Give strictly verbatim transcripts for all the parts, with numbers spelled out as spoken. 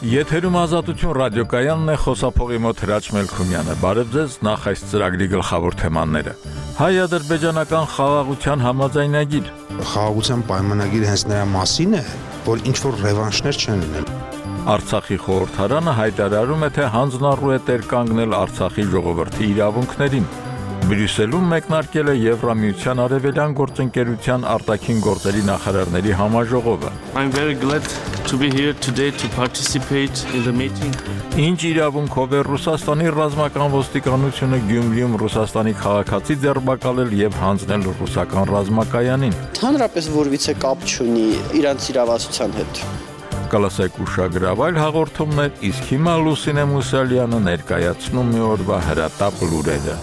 Եթերում Ազատություն ռադիոկայանն է, խոսափողի մոտ Հրաչ Մելքումյանը։ Բարև ձեզ, նախ այս ծրագրի գլխավոր թեմաները։ Հայ-ադրբեջանական խաղաղության համաձայնագիր։ Խաղաղության պայմանագիրը հենց նրա մասին է, որ ինչ-որ ռևանշներ չեն լինել։ Արցախի խորհրդարանը հայտարարում է, թե հանձնառու է տեր կանգնել Արցախի ժողովրդի իրավունքներին։ Բրյուսելում մեկնարկել է Եվրամիության արևելյան գործընկերության արտաքին գործերի նախարարների համաժողովը։ I'm very glad to be here today to participate in the meeting. Ինչ իրավունքով է Ռուսաստանի ռազմական ոստիկանությունը Գյումրիում Ռուսաստանի քաղաքացի ձերբակալել եւ հանձնել ռուսական ռազմակայանին։ Հանրապես որևիցե կապ չունի իրանց իրավասության հետ։ Կլասեք ուշագրավ այլ հաղորդումներ, իսկ հիմա Լուսինե Մուսալյանը ներկայացնում մի օրվա հրատապ լուրերը։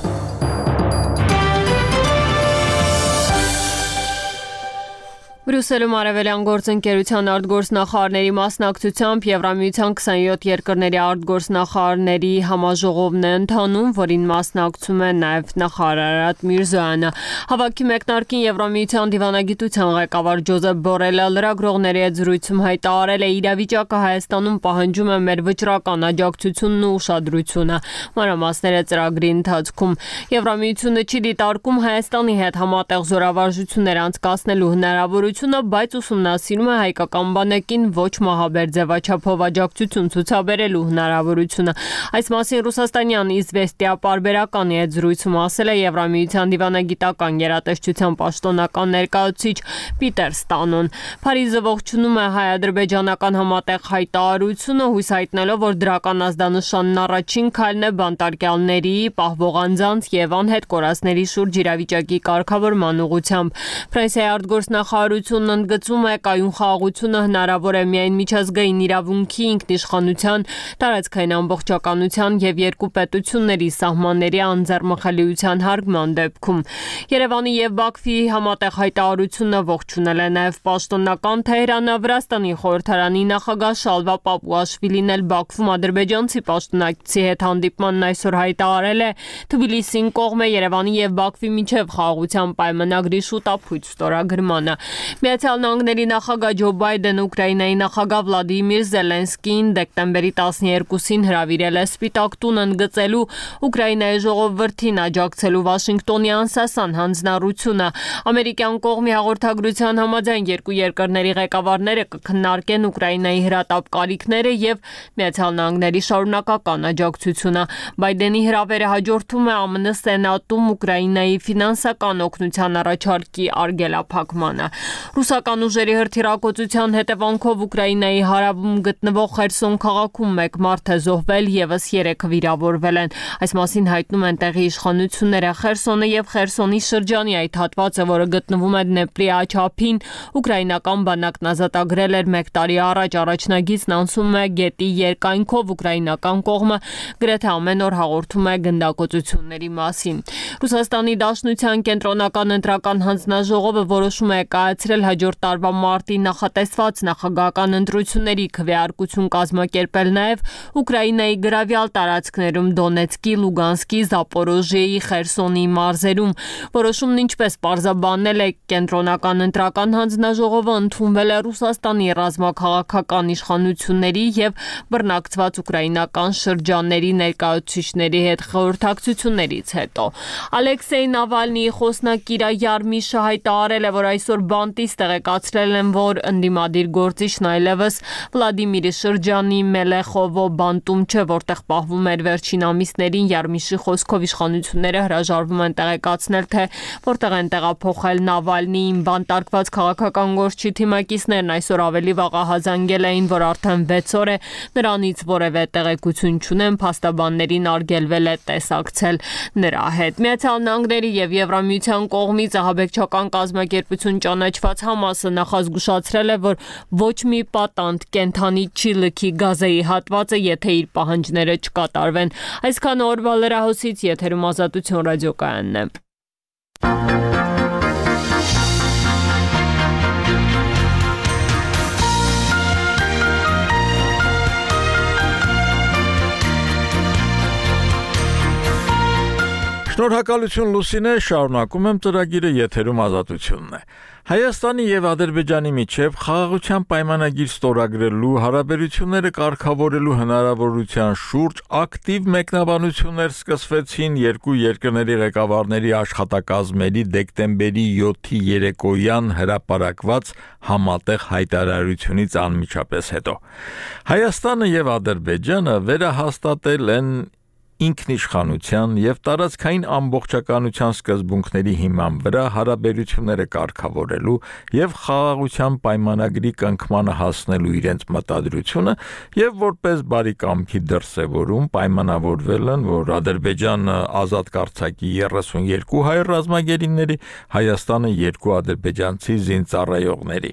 Բրյուսելում արևելյան գործընկերության արտգործնախարարների մասնակցությամբ Եվրամիության քսանյոթ երկրների արտգործնախարարների համաժողովն է ընթանում, որին մասնակցում է նաև նախարար Արադ Միրզոյանը։ Հավաքի մեկնարկին Եվրամիության դիվանագիտության ղեկավար Ջոզեփ Բորելը լրագրողների հետ զրույցում հայտարարել է, իրավիճակը Հայաստանում պահանջում է մեր վճռական աջակցությունն ու ուշադրությունը։ Մանրամասները ծրագրի ընթացքում Եվրամիությունը չի դիտարկում Հայաստանի հետ համատեղ զորավարժություններ անցկացնելու հնարավորությունը, բայց ուսումնասիրում է հայկական բանակին ոչ մահաբեր ձևաչափով աջակցություն ցուցաբերելու հնարավորությունը։ Այս մասին Ռուսաստանյան Իզվեստիա պարբերականի հետ զրույցում ասել է Եվրամիության դիվանագիտական գերատեսչության պաշտոնական ներկայացուցիչ Պիտեր Ստանոն։ Փարիզը ողջունում է հայ-ադրբեջանական համատեղ հայտարարությունը, հույս հայտնելով, որ դրական ազդանշանն առաջին քայլն է բանտարկյալների, պահվող անձանց եւ անհետ կորածների շուրջ իրավիճակի կարգավորման ուղղությամբ։ Ֆրանսիայի արտգործնախարարությունն ընդգծում է, կայուն խաղաղությունը հնարավոր է միայն միջազգային իրավունքի, ինքնիշխանության, տարածքային ամբողջականության եւ երկու պետությունների սահմանների անձեռմխելիության հարգման դեպքում։ Երևանի եւ Բաքվի համատեղ հայտարարությունը ողջունել է նաեւ պաշտոնական Թեհրանը։ Վրաստանի խորհրդարանի նախագահ Շալվա Պապուաշվիլին էլ Բաքվում ադրբեջանցի պաշտոնակցի հետ հանդիպմանն այսօր հայտարարել է, Թբիլիսին կողմ է Երևանի եւ Բաքվի միջև խաղաղության պայմանագրի շուտափույթ ստորագրմանը։ Միացյալ Նահանգների նախագահ Ջո Բայդենը Ուկրաինայի նախագահ Վլադիմիր Զելենսկիին դեկտեմբերի տասներկուսին հրավիրել է Սպիտակ տուն ընդգծելու Ուկրաինայի ժողովրդին աջակցելու Վաշինգտոնի անսասան հանձնառությունը։ Ամերիկյան կողմի հաղորդագրության համաձայն երկու երկրների ղեկավարները կքննարկեն Ուկրաինայի հրատապ կարիքները եւ Միացյալ Նահանգների շարունակական աջակցությունը։ Բայդենի հրավերը հաջորդում է ԱՄՆ Սենատում Ուկրաինայի ֆինանսական օգնության առաջարկի արգելափակմանը։ Ռուսական ուժերի հրթիռակոծության հետևանքով Ուկրաինայի հարավում գտնվող Խերսոն քաղաքում մեկ մարդ է զոհվել, եւս երեքը վիրավորվել են։ Այս մասին հայտնում են տեղի իշխանությունները։ Խերսոնը եւ Խերսոնի շրջանի այդ հատվածը, որը գտնվում է Դնեպրի աջափին, ուկրաինական բանակն ազատագրել էր մեկ տարի առաջ։ Առաջնագիծն անցում է գետի երկայնքով, ուկրաինական կողմը գրեթե ամեն օր հաղորդում է գնդակոծությունների մասին։ Ռուսաստանի Դաշնության կենտրոնական ընտրական հանձնաժողովը որոշում է կայացրել հաջորդ տարվա մարտի նախատեսված նախագահական ընտրությունների քվեարկություն կազմակերպել նաև Ուկրաինայի գրավյալ տարածքներում Դոնեցկի, Լուգանսկի, Զապորոժիեի, Խերսոնի մարզերում։ Որոշումն ինչպես պարզաբանել է կենտրոնական ընտրական հանձնաժողովը, ընդունվել է Ռուսաստանի ռազմաքաղաքական իշխանությունների եւ բռնակցված ուկրաինական շրջանների ներկայացուցիչների հետ խորհրդակցություններից հետո։ Ալեքսեյ Նավալնիի խոսնակիր Յարմիշը հայտարարել է, որ այսօր բանտից տեղեկացրել են, որ ընդդիմադիր գործիչն այլևս Վլադիմիրի շրջանի Մելեխովո բանտում չէ, որտեղ պահվում էր վերջին ամիսներին։ Յարմիշի խոսքով իշխանությունները հրաժարվում են տեղեկացնել, թե որտեղ են տեղափոխել Նավալնիին։ Բանտարկված քաղաքական գործչի թիմակիցներն այսօր ավելի վաղ ահազանգել էին, որ արդեն վեց օր է նրանից որևէ տեղեկություն չունեն, փաստաբաններին արգելվել է տեսակցել նրա հետ։ Միացյալ Նահանգների եւ Եվրամիության կողմից ահաբեկչական կազմակերպություն ճանաչված Համասը նախազգուշացրել է, որ ոչ մի պատանդ կենդանի չի լքի Գազայի հատվածը, եթե իր պահանջները չկատարվեն։ Այսքան օրվա լրահոսից եթերում Ազատություն ռադիոկայանն է։ Շնորհակալություն Լուսինե, շարունակում եմ ծրագիրը, եթերում Ազատությունն է։ Հայաստանի եւ Ադրբեջանի միջև խաղաղության պայմանագիր ստորագրելու, հարաբերությունները կարգավորելու հնարավորության շուրջ ակտիվ մեկնաբանություններ սկսվեցին երկու երկրների ղեկավարների աշխատակազմերի դեկտեմբերի յոթի երեկոյան հրապարակված համատեղ հայտարարությունից անմիջապես հետո։ Հայաստանը եւ Ադրբեջանը վերահաստատել են ինքնիշխանության եւ տարածքային ամբողջականության սկզբունքների հիման վրա հարաբերությունները կարգավորելու եւ խաղաղության պայմանագրի կնքմանը հասնելու իրենց մտադրությունը եւ որպես բարի կամքի դրսեւորում պայմանավորվել են, որ Ադրբեջանը ազատ կարձակի երեսունյոթ հայ ռազմագերիների, Հայաստանը երկու ադրբեջանցի զինծառայողների։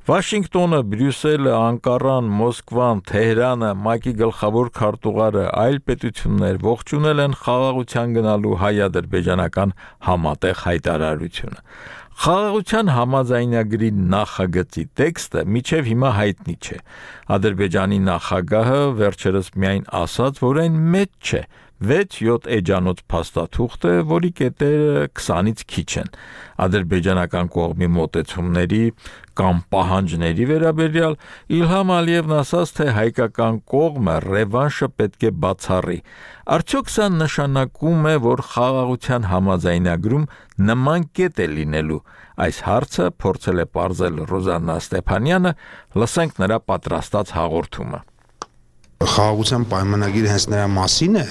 Վաշինգտոնը, Բրյուսելը, Անկարան, Մոսկվան, Թեհրանը, ՄԱԿ-ի գլխավոր քարտուղարը, այլ պետություններ ողջունել են խաղաղության գնալու հայ-ադրբեջանական համատեղ հայտարարությունը։ Խաղաղության համաձայնագրի նախագծի տեքստը մինչև հիմա հայտնի չէ։ Ադրբեջանի նախագահը վերջերս միայն ասաց, որ այն մեծ չէ, վեց-յոթ էջանոց փաստաթուղթ է, որի կետերը քսանից քիչ են։ Ադրբեջանական կողմի մոտեցումների կամ պահանջների վերաբերյալ Իլհամ Ալիևն ասաց, թե հայկական կողմը ռևանշը պետք է բացառի։ Արդյոք սա նշանակում է, որ խաղաղության համաձայնագրում նման կետ է լինելու։ Այս հարցը փորձել է պարզել Ռոզաննա Ստեփանյանը, լսենք նրա պատրաստած հաղորդումը։ Խաղաղության պայմանագիրը հենց նրա մասին է,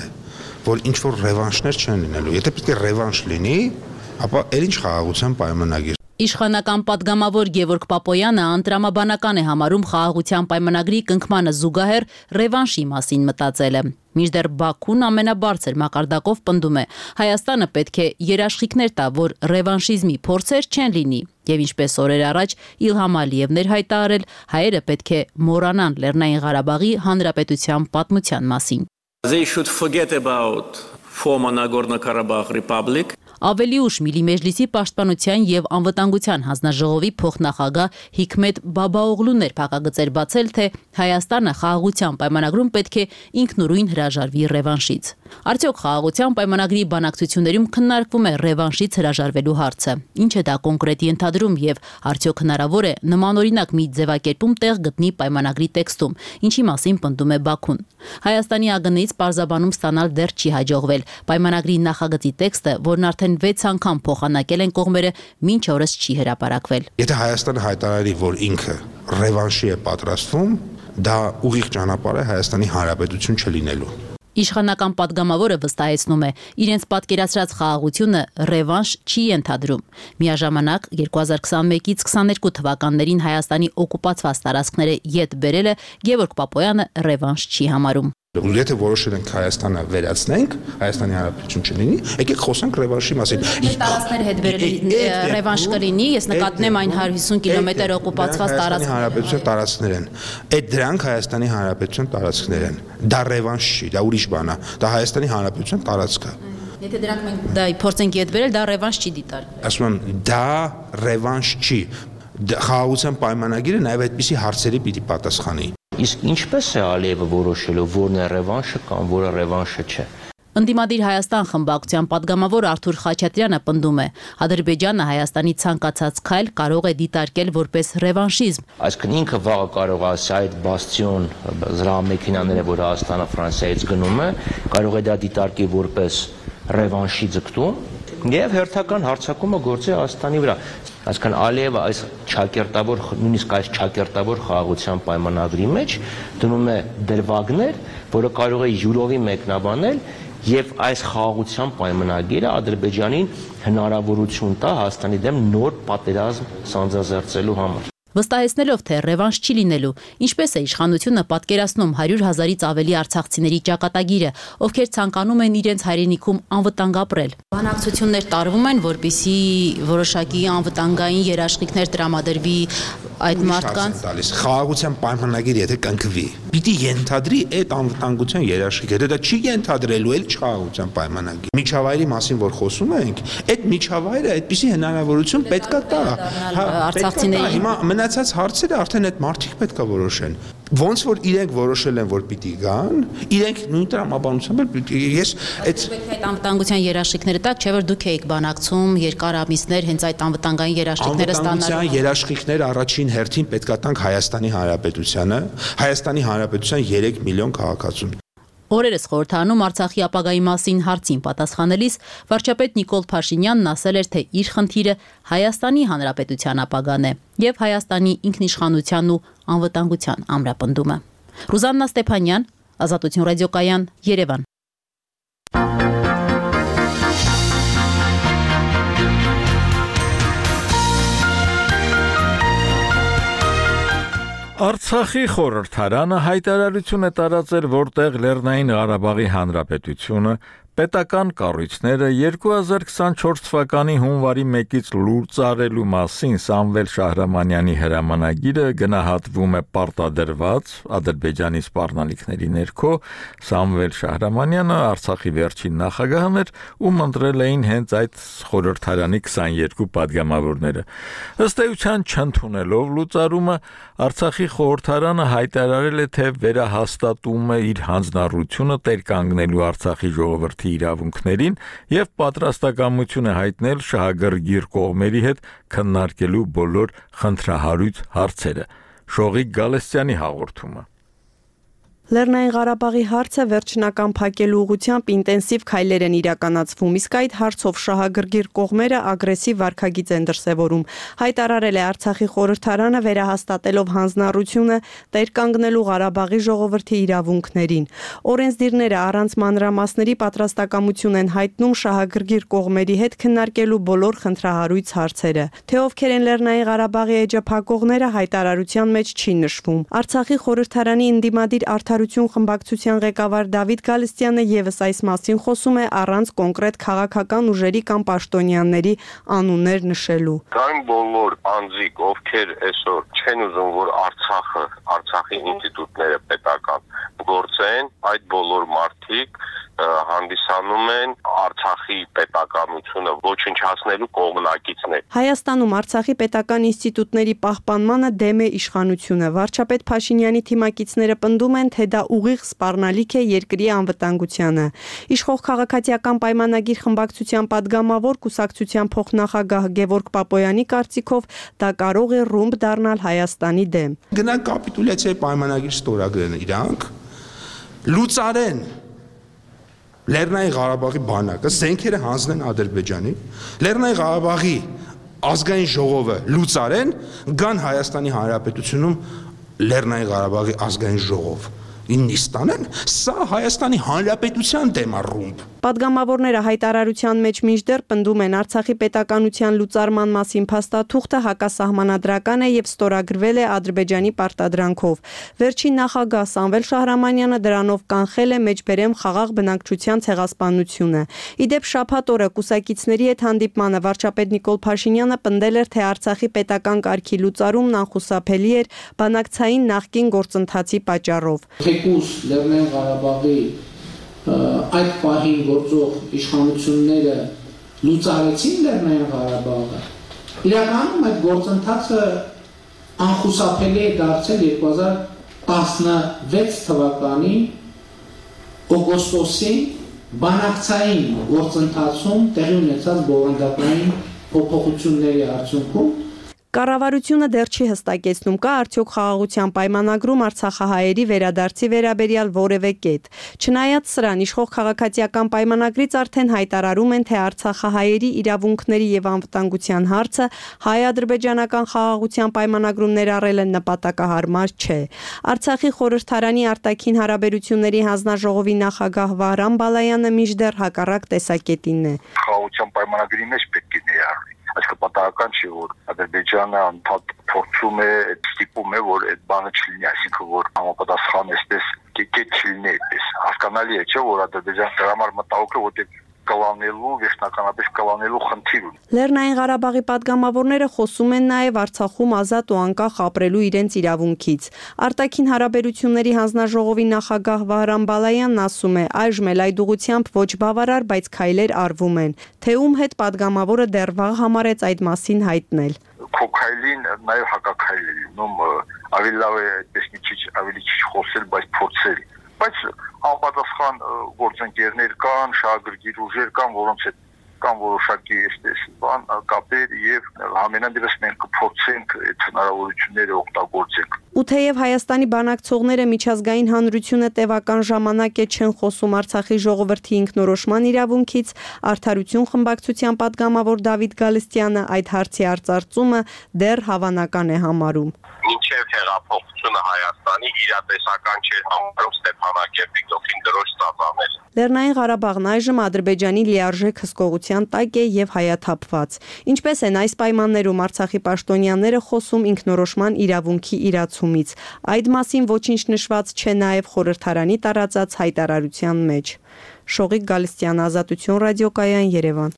որ ինչ որ ռևանշներ չեն լինելու։ Եթե պետք է ռևանշ լինի, ապա էլ ինչ խաղաղության պայմանագիր։ Իշխանական պատգամավոր Գևորգ Պապոյանը անտրամաբանական է համարում խաղաղության պայմանագրի կնքմանը զուգահեռ ռևանշի մասին մտածելը։ Մինչդեռ Բաքուն ամենաբարձր մակարդակով պնդում է, Հայաստանը պետք է երաշխիքներ տա, որ ռևանշիզմի փորձեր չեն լինի, եւ ինչպես օրեր առաջ Իլհամ Ալիևն էր հայտարարել, հայերը պետք է մոռանան Լեռնային Ղարաբաղի հանրապետության պատմության մասին։ They should forget about former Nagorno-Karabakh Republic. Ավելի ուշ Միլի Մեջլիսի պաշտպանության եւ անվտանգության հանձնաժողովի փոխնախագահ Հիքմետ Բաբաօղլուն էր փակագծեր բացել, թե Հայաստանը խաղաղության պայմանագրում պետք է ինքնուրույն հրաժարվի ռևանշից։ Արդյոք խաղաղության պայմանագրի բանակցություններում քննարկվում է ռևանշից հրաժարվելու հարցը։ Ինչ է դա կոնկրետ ենթադրում եւ արդյոք հնարավոր է նմանօրինակ մի ձևակերպում տեղ գտնի պայմանագրի տեքստում, ինչի մասին պնդում է Բաքուն։ Հայաստանի ԱԳՆ-ից պարզաբանում ստանալ դեռ չի հաջողվել։ Պայմանագրի նախագծի տեքստը, որն արդեն վեց անգամ փոխանակել են կողմերը, մինչ օրս չի հրապարակվել։ Եթե Հայաստանը հայտարարի, որ ինքը ռևանշի է պատրաստվում, դա ուղիղ ճանապարհ է Հայաստանի Հանրապետություն չլինելու։ Իշխանական պատգամավորը վստահեցնում է, իրենց պատկերացրած խաղաղությունը ռևանշ չի ենթադրում։ Միաժամանակ երկու հազար քսանմեկից քսաներկու թվականներին Հայաստանի օկուպացված տարածքները յետ բերելը Գևորգ Պապոյանը ռևանշ չի համարում։ Եթե որոշել ենք Հայաստանը վերացնենք, Հայաստանի Հանրապետություն չլինի, եկեք խոսենք ռևանշի մասին։ Տարածքները հետ բերել ռևանշ կլինի, ես նկատնում եմ այն հարյուր հիսուն կիլոմետր օկուպացված տարածքներ։ Հանրապետության տարածքներ են։ Այդ դրանք Հայաստանի Հանրապետության տարածքներ են։ Դա ռևանշ չի, դա ուրիշ բան է։ Դա Հայաստանի Հանրապետության տարածք է։ Եթե դրանք մենք դա փորձենք ետ բերել, դա ռևանշ չի դիտարկվի։ Ասում եմ, դա ռևանշ չի։ Խաղաղության պայմանագիրը նաև այդպիսի հարցերի պիտի պատասխանի։ Իսկ ինչպես է Ալիևը որոշելու, որն է ռևանշը կամ որը ռևանշը չէ։ Ընդդիմադիր Հայաստան խմբակցության պատգամավոր Արթուր Խաչատրյանը պնդում է, Ադրբեջանը Հայաստանի ցանկացած քայլ կարող է դիտարկել որպես ռևանշիզմ։ Այսինքն ինքը վաղը կարող է ասել այդ բաստիոն զրահամեքենաները, որ Հայաստանը Ֆրանսիայից գնում է, կարող է դա դիտարկի որպես ռևանշի ձգտում եւ հերթական հարձակումը գործի Հայաստանի վրա։ Այսինքն Ալիևը այս ճակերտավոր, նույնիսկ այս ճակերտավոր խաղաղության պայմանագրի մեջ դնում է դրվագներ, որը կարող է յուրովի մեկնաբանել եւ այս խաղաղության պայմանագիրը Ադրբեջանին հնարավորություն տա Հայաստանի դեմ նոր պատերազմ սանձազերծելու համար։ Վստահեցնելով, թե ռևանշ չի լինելու, ինչպես է իշխանությունը պատկերացնում հարյուր հազարից ավելի արցախցիների ճակատագիրը, ովքեր ցանկանում են իրենց հայրենիքում անվտանգ ապրել։ Բանակցություններ տարվում են, որպեսզի որոշակի անվտանգային երաշխիքներ տրամադրվի այդ մարդկանց։ Խաղաղության պայմանագիրը եթե կնքվի, պիտի ենթադրի այդ անվտանգության երաշխիքները, դա չի ենթադրելու էլ չխաղաղության պայմանագիր։ Միջավայրի մասին որ խոսում ենք, այդ միջավայրը այդպիսի հնարավորություն պետքա տա։ Արցախցիների հիմա Մնացած հարցերը արդեն այդ մարդիկ պետք է որոշեն։ Ոնց որ իրենք որոշել են, որ պիտի գան, իրենք նույն տրամաբանությամբ ես այդ այդ անվտանգության երաշխիքները տակ, չէ՞ որ դուք եք բանակցում երկար ամիսներ հենց այդ անվտանգային երաշխիքները ստանալու։ Անվտանգության երաշխիքներ առաջին հերթին պետք է տանք Հայաստանի Հանրապետությանը, Հայաստանի Հանրապետության երեք միլիոն քաղաքացուն։ Օրերս խորհրդարանում Արցախի ապագայի մասին հարցին պատասխանելիս վարչապետ Նիկոլ Փաշինյանն ասել էր, թե իր խնդիրը Հայաստանի Հանրապետության ապագան է եւ Հայաստանի ինքնիշխանությանն ու անվտանգության ամրապնդումը։ Ռուզաննա Ստեփանյան, Ազատություն ռադիոկայան, Երևան։ Արցախի խորհրդարանը հայտարարություն է տարածել, որտեղ Լեռնային Ղարաբաղի Հանրապետությունը պետական կառույցները երկու հազար քսանչորս թվականի հունվարի մեկից լուրջ արելու մասին Սամվել Շահրամանյանի հրամանագիրը գնահատվում է պարտադրված Ադրբեջանի սպառնալիքների ներքո։ Սամվել Շահրամանյանը Արցախի վերջին նախագահն էր, ում ընտրել էին հենց այդ խորհրդարանի քսաներկու падգամավորները։ Ըստ էության չընդունելով լուծարումը Արցախի խորհրդարանը հայտարարել է, թե վերահաստատում է իր հանձնառությունը տերկանգնելու Արցախի ժողովրդի իրավունքներին եւ պատրաստակամություն է հայտնել շահագրգիռ կողմերի հետ քննարկելու բոլոր խնդրահարույց հարցերը։ Շողիկ Գալստյանի հաղորդումը։ Լեռնային Ղարաբաղի հարցը վերջնական փակելու ուղղությամբ ինտենսիվ քայլեր են իրականացվում, իսկ այդ հարցով շահագրգիռ կողմերը ագրեսիվ վարքագիծ են դրսևորում։ Հայտարարել է Արցախի խորհրդարանը վերահաստատելով հանձնառությունը տերկանգնելու Ղարաբաղի ժողովրդի իրավունքներին։ Օրենսդիրները առանց մանրամասների պատրաստակամություն են հայտնում շահագրգիռ կողմերի հետ քննարկելու բոլոր խնդրահարույց հարցերը։ Թե ովքեր են Լեռնային Ղարաբաղի էջը փակողները հայտարարության մեջ չի նշվում։ Արցախի խորհրդարանի ընդդիմադիր Արդարություն խմբակցության ղեկավար Դավիթ Գալստյանը եւս այս մասին խոսում է առանց կոնկրետ քաղաքական ուժերի կամ պաշտոնյաների անուններ նշելու։ Կան բոլոր անձիկ, ովքեր այսօր չեն ուզում, որ Արցախը, Արցախի ինստիտուտները պետական գործեն, այդ բոլոր մարդիկ հանդիսանում են Արցախի պետականությունը ոչնչացնելու կողմնակիցներ։ Հայաստանում Արցախի պետական ինստիտուտների պահպանմանը դեմ է իշխանությունը։ Վարչապետ Փաշինյանի թիմակիցները պնդում են, թե դա ուղիղ սպառնալիք է երկրի անվտանգությանը։ Իշխող քաղաքացիական պայմանագիր խմբակցության падգամավոր կուսակցության փոխնախագահ Գևորգ Պապոյանի կարծիքով դա կարող է ռումբ դառնալ Հայաստանի դեմ։ Գնանք կապիտուլյացիայի պայմանագիր ստորագրեն իրանք, լուծարեն Լեռնային Ղարաբաղի բանակը զենքերը հանձնեն Ադրբեջանին, Լեռնային Ղարաբաղի ազգային ժողովը լուծարեն, գան Հայաստանի Հանրապետությունում Լեռնային Ղարաբաղի ազգային ժողով նիստանեն, սա Հայաստանի Հանրապետության դեմ է ռումբ։ Պատգամավորները հայտարարության մեջ մինչդեռ պնդում են Արցախի պետականության լուծարման մասին փաստաթուղթը հակասահմանադրական է եւ ստորագրվել է Ադրբեջանի պարտադրանքով։ Վերջին նախագահ Սամվել Շահրամանյանը դրանով կանխել է մեջբերեմ խաղաղ բնակչության ցեղասպանությունը։ Իդեպ շաբաթ օրը կուսակիցների հետ հանդիպմանը վարչապետ Նիկոլ Փաշինյանը պնդել էր, թե Արցախի պետական կարգի լուծարումն անխուսափելի էր բանակցային նախկին գործընթացի պատճառով։ Թեկուզ Լեռնային Ղարաբաղի այդ պահին գործող իշխանությունները լուծարեցին Լեռնային Ղարաբաղը։ Իրականում այդ գործընթացը անխուսափելի է դարձել երկու հազար տասնվեց թվականի օգոստոսին բանակցային գործընթացում տեղի ունեցած բովանդակային փոփոխությունների արդյունքում Կառավարությունը դեռ չի հստակեցնում, կա արդյոք խաղաղության պայմանագրում արցախահայերի վերադարձի վերաբերյալ որևէ կետ։ Չնայած սրան, իշխող քաղաքացիական պայմանագրից արդեն հայտարարում են, թե արցախահայերի իրավունքների եւ անվտանգության հարցը հայ-ադրբեջանական խաղաղության պայմանագրում ներառելը նպատակահարմար չէ։ Արցախի խորհրդարանի արտաքին հարաբերությունների հանձնաժողովի նախագահ Վահրամ Բալայանը մինչդեռ հակառակ տեսակետին է։ Խաղաղության պայմանագրի մեջ պետք է ներառվի։ Այսինքն պատահական չի, որ Ադրբեջանը անդադ փորձում է, ստիպում է, որ այդ բանը չլինի, այսինքն որ համապատասխան էսպես կետ չլինի այդպես։ Հասկանալի է, չէ՞, որ Ադրբեջանը դրա համար մտահոգ է, որտեղ կլանելու, վերջնականապես կլանելու խնդիր ունի։ Լեռնային Ղարաբաղի падգամավորները խոսում են նաև Արցախում ազատ ու անկախ ապրելու իրենց իրավունքից։ Արտաքին հարաբերությունների հանձնաժողովի նախագահ Վահրամ Բալայանն ասում է, այժմ էլ այդ ուղղությամբ ոչ բավարար, բայց քայլեր արվում են, թե ում հետ падգամավորը դեռ վաղ համարեց այդ մասին հայտնել։ Քո քայլին նաև հակաքայլ է լինում, ավելի լավ է այդպես մի քիչ ավելի քիչ խոսել, բայց փորձել։ Բայց անպատասխան գործընկերներ կան, շահագրգիռ ուժեր կան, որոնց հետ կան որոշակի այսպես բան կապեր եւ ամենադեպս մենք կփորձենք այդ հնարավորությունները օգտագործենք։ Ու թեև Հայաստանի բանակցողները միջազգային հանրությունը տևական ժամանակ է չեն խոսում Արցախի ժողովրդի ինքնորոշման իրավունքից, Արդարություն խմբակցության падգամավոր Դավիթ Գալստյանը այդ հարցի արծարծումը դեռ հավանական է համարում։ Մինչև հեղափոխությունը Հայաստանի իրատեսական չէր համարում Ստեփանակերտի գլխին դրոշ ծածանել։ Լեռնային Ղարաբաղն այժմ Ադրբեջանի լիարժեք հսկողության տակ է եւ հայաթափված։ Ինչպես են այս պայմաններում Արցախի պաշտոնյաները խոսում ինքնորոշման իրավունքի իրացումից։ Այդ մասին ոչինչ նշված չէ նաեւ խորհրդարանի տարածած հայտարարության մեջ։ Շողիկ Գալստյան, Ազատություն ռադիոկայան, Երևան։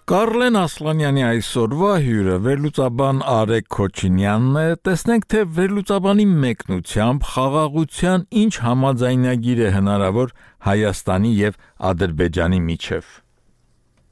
Կարլեն Ասլանյանի այսօրվա հյուրը վերլուծաբան Արեգ Քոչինյանն է, տեսնենք թե վերլուծաբանի մեկնությամբ խաղաղության ինչ համաձայնագիր է հնարավոր Հայաստանի եւ Ադրբեջանի միջև։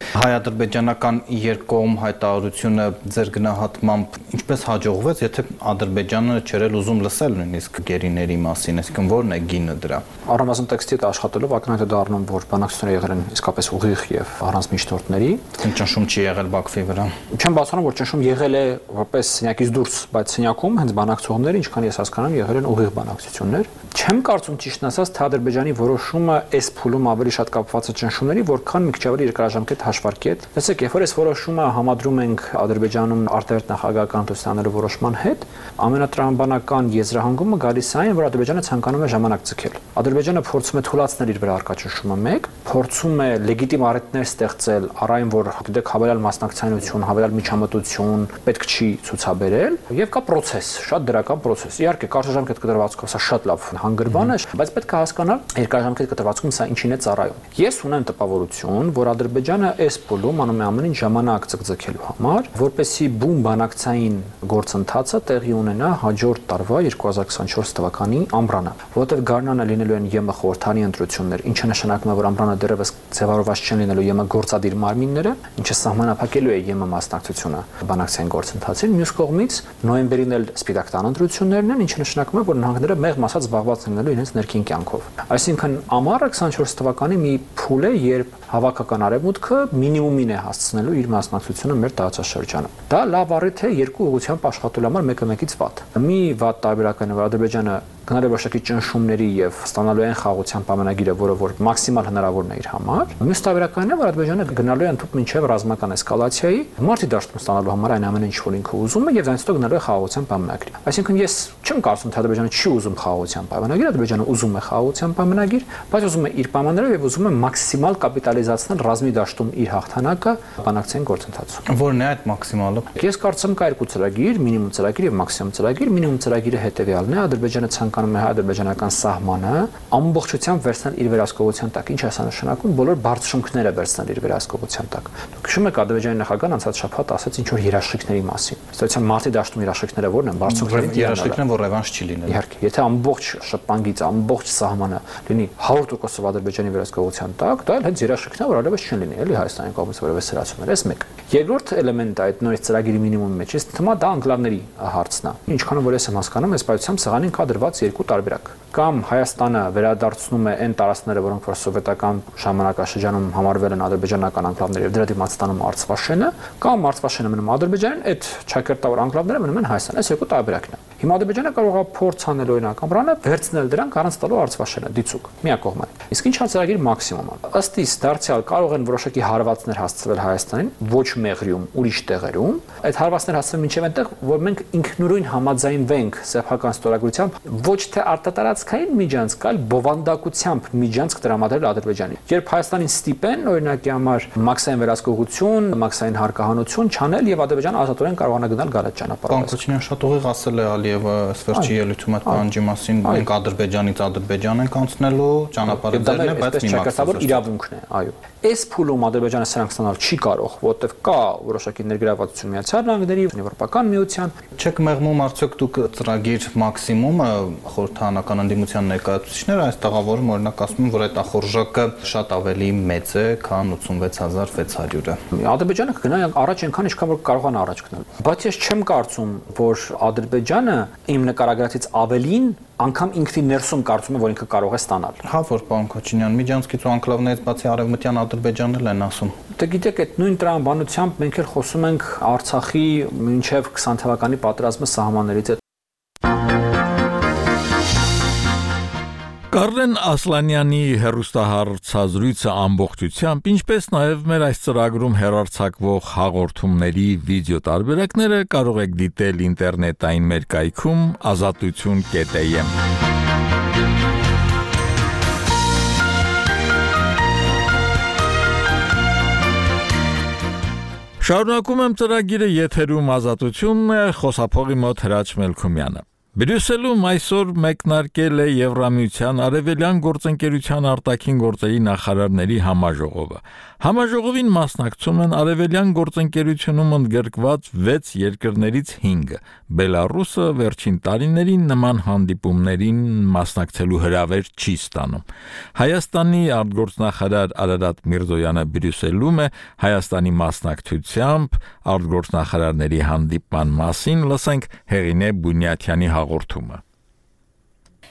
Հայ-ադրբեջանական երկկողմ հայտարարությունը ձեր գնահատմամբ ինչպես հաջողվեց, եթե Ադրբեջանը չէր ուզում լսել նույնիսկ գերիների մասին, այսինքն ո՞րն է գինը դրա։ Առնվազն տեքստի հետ աշխատելով ակնհայտ է դառնում, որ բանակցությունները եղել են իսկապես ուղիղ եւ առանց միջնորդների։ Ճնշում չի եղել Բաքվի վրա։ Չեմ բացառում, որ ճնշում եղել է որպես սենյակից դուրս, բայց սենյակում հենց բանակցողները, ինչքան ես հասկանում, եղել են ուղիղ բանակցություններ։ Չեմ կարծում ճիշտն ասած, թե Ադրբեջանի որոշումը այս փուլում ավելի շատ կապված է ճնշումների, որքան մի քիչ ավելի երկարաժամկետ հաշվարկի հետ։ Տեսեք, երբ որ այս որոշումը համադրում ենք Ադրբեջանում արտերտ նախագահական տոստանելու որոշման հետ, ամենատրամաբանական եզրահանգումը գալիս է այն, որ Ադրբեջանը ցանկանում է ժամանակ ցկել։ Ադրբեջանը փորձում է թույլատրել իր վրա արկա ճնշումը մեկ, փորձում է լեգիտիմ առիթներ ստեղծել առ այն, որ գիտեք, հավելյալ մասնակցայնություն, հավելյալ միջամտություն պետք չի ցուցաբերել, եւ կա process, շատ դրական process։ Իհարկե, կարճաժամկետ կտրվածքով սա շատ լավ հանգրվան է, բայց պետք է հասկանալ երկարաժամկետ կտրվածքում սա ինչին է ծառայում։ Ես ունեմ տպավորություն, որ Ադրբեջանը այս փուլում անում է ամեն ինչ ժամանակ ցկցկելու համար, որպեսզի բուն բանակցային գործընթացը տեղի ունենա հաջորդ տարվա երկու հազար քսանչորս թվականի ամռանը, որովհետև գարնանը լինելու են ԵՄ խորհրդանի ընտրություններ, ինչը նշանակում է, որ ամռանը դեռևս ձևավորված չեն լինելու ԵՄ գործադիր մարմինները, ինչը սահմանափակելու է ԵՄ մասնակցությունը բանակցային գործընթացին։ Մյուս կողմից նոյեմբերին էլ Սպիտակ տան ընտրություններն են, ինչը նշանակում է, որ նահանգները մեղմ ասած զբաղված լինելու իրենց ներքին կյանքով։ Այսինքն ամառը քսանչորս թվականի մի փուլ է, երբ հավաքական արևմուտքը մինիմումին է հասցնելու իր մասնակցությունը մեր տարածաշրջանում։ Դա լավ առիթ է երկու ուղղությամբ աշխատելու համար մեկը մեկից վատ։ Մի վատ տարբերակն է, որ Ադրբեջանը գնալու որոշակի ճնշումների եւ ստանալու այն խաղաղության պայմանագիրը, որը որ մաքսիմալ հնարավորն է իր համար։ Մյուս տարբերակն է, որ Ադրբեջանը գնալու է ընդհանուր մինչեւ ռազմական էսկալացիայի, մարտի դաշտում ստանալու համար այն ամեն ինչ, որ ինքը ուզում է, եւ դրանից հետո գնալու է խաղաղության պայմանագիր։ Այսինքն ես չեմ կարծում, թե Ադրբեջանը չի ուզում խաղաղության պայմանագիր, Ադրբեջանը ուզում է խաղաղության պայմանագիր, բայց ուզում է իր պայմաններով եւ ուզում է մաքսիմալ կապիտալիզացնել ռազմի դաշտում իր հաղթանակը բանակցային գործընթացում։ Որն է այդ մաքսիմալը։ Ես կարծում կա երկու ծրագիր, մինիմում ծրագիր եւ մաքսիմում ծրագիր։ Մինիմում ծրագիրը հետեւյալն է, Ադրբեջանը ցանկանում է հայ-ադրբեջանական սահմանը ամբողջությամբ վերցնել իր վերահսկողության տակ։ Ինչ է սա նշանակում, բոլոր բարձրությունները վերցնել իր վերահսկողության տակ։ Դուք հիշում եք Ադրբեջանի նախագահան անցած շաբաթ ասաց ինչ որ երաշխիքների մասին։ Ստացիան մարտի դաշտում երաշխիքները որն են, բարձրությունների երաշխիքն է, որ ռևանշ չի լինելու։ Իհարկե, եթե ամբողջ շփանգից ամբողջ սահմանը լինի հարյուր տոկոս Ադրբեջանի վերահսկողության տակ, դա էլ հենց երաշխիքն է, որ այլևս չեն լինի, էլի Հայաստանի կողմից որևէ սրացումներ, այս մեկ։ Երկրորդ էլեմենտը այդ նույն ծրագիրի մինիմումի մեջ է, թվում է դա անկլավների հարցն է։ Ինչքան որ ես եմ հասկանում, այս պայծառ սեղանին կա դրված երկու տարբերակ։ Կամ Հայաստանը վերադարձնում է այն տարածքները, որոնք որ սովետական ժամանակաշրջանում համարվել են ադրբեջանական անկլավներ եւ դրա դիմաց ստանում Արցվաշենը, կամ Արցվաշենը մնում Ադրբեջանին, այդ ճակերտավոր անկլավները մնում են Հայաստան։ Այս երկու տարբերակն է։ Հիմա Ադրբեջանը կարող է փորձ անել օրինակ ամռանը վերցնել դրանք առանց տալու Արցվաշենը դիցուկ միակողմանի։ Իսկ ինչ է ծրագիր մաքսիմումը։ Ըստ իս դարձյալ կարող են որոշակի հարվածներ հասցվել Հայաստանին, ոչ Մեղրիում, ուրիշ տեղերում։ Այդ հարվածները հասցվեն մինչև այնտեղ, որ մենք ինքնուրույն համաձայնվենք սեփական ստորագրությամբ ոչ թե արտատարած տարածքային միջանցք, այլ բովանդակությամբ միջանցք տրամադրել Ադրբեջանին։ Երբ Հայաստանին ստիպեն օրինակի համար մաքսային վերահսկողություն, մաքսային հարկահանություն չանել եւ Ադրբեջանը ազատորեն կարողանա գնալ գալած ճանապարհով։ Կոնկրետ շատ ուղիղ ասել է Ալիևը սվերջի ելույթում այդ բանջի մասին, մենք Ադրբեջանից Ադրբեջան ենք անցնելու, ճանապարհը դեռն է, բայց մի մաքսավոր իրավունքն է, այո։ Այս փուլում Ադրբեջանը սրանք ստանալ չի կարող, որովհետեւ կա որոշակի ներգրավվածություն Միացյալ Նահանգների, Եվրոպական միության։ Չեք մեղմում արդյոք դուք ծրագիր մաքսիմումը խորհրդանական ընդդիմության ներկայացուցիչները այս տաղավարում օրինակ ասում են, որ այդ ախորժակը շատ ավելի մեծ է, քան ութսունվեց հազար վեց հարյուրը։ Ադրբեջանը կգնա առաջ այնքան, ինչքան որ կարողանա առաջ գնալ։ Բայց ես չեմ կարծում, որ Ադրբեջանը իմ նկարագրածից ավելին անգամ ինքնին ներսում կարծում է, որ ինքը կարող է ստանալ։ Հա, որ պարոն Քոչինյան, միջանցքից ու անկլավներից բացի արևմտյան Ադրբեջանն էլ են ասում։ Դե գիտեք, այդ նույն տրամաբանությամբ մենք էլ խոսում ենք Արցախի մինչև քսան թվականի պատերազմը սահմաններից հետ։ Կարլեն Ասլանյանի հեռուստահաղորդազրույցը ամբողջությամբ, ինչպես նաև մեր այս ծրագրում հեռարձակվող հաղորդումների վիդեո տարբերակները կարող եք դիտել ինտերնետային մեր կայքում ազատություն կետ am։ Շարունակում եմ ծրագիրը եթերում ազատությունն է, խոսափողի մոտ Հրաչ Մելքումյանը։ Բրյուսելում այսօր մեկնարկել է Եվրամիության Արևելյան գործընկերության արտաքին գործերի նախարարների համաժողովը։ Համաժողովին մասնակցում են Արևելյան գործընկերությունում ընդգրկված վեց երկրներից հինգը։ Բելարուսը վերջին տարիներին նման հանդիպումներին մասնակցելու հրավեր չի ստանում։ Հայաստանի արտգործնախարար Արարատ Միրզոյանը Բրյուսելում է Հայաստանի մասնակցությամբ արտգործնախարարների հանդիպման մասին, լսենք Հեղինե Բունյաթյանի հաղորդումը։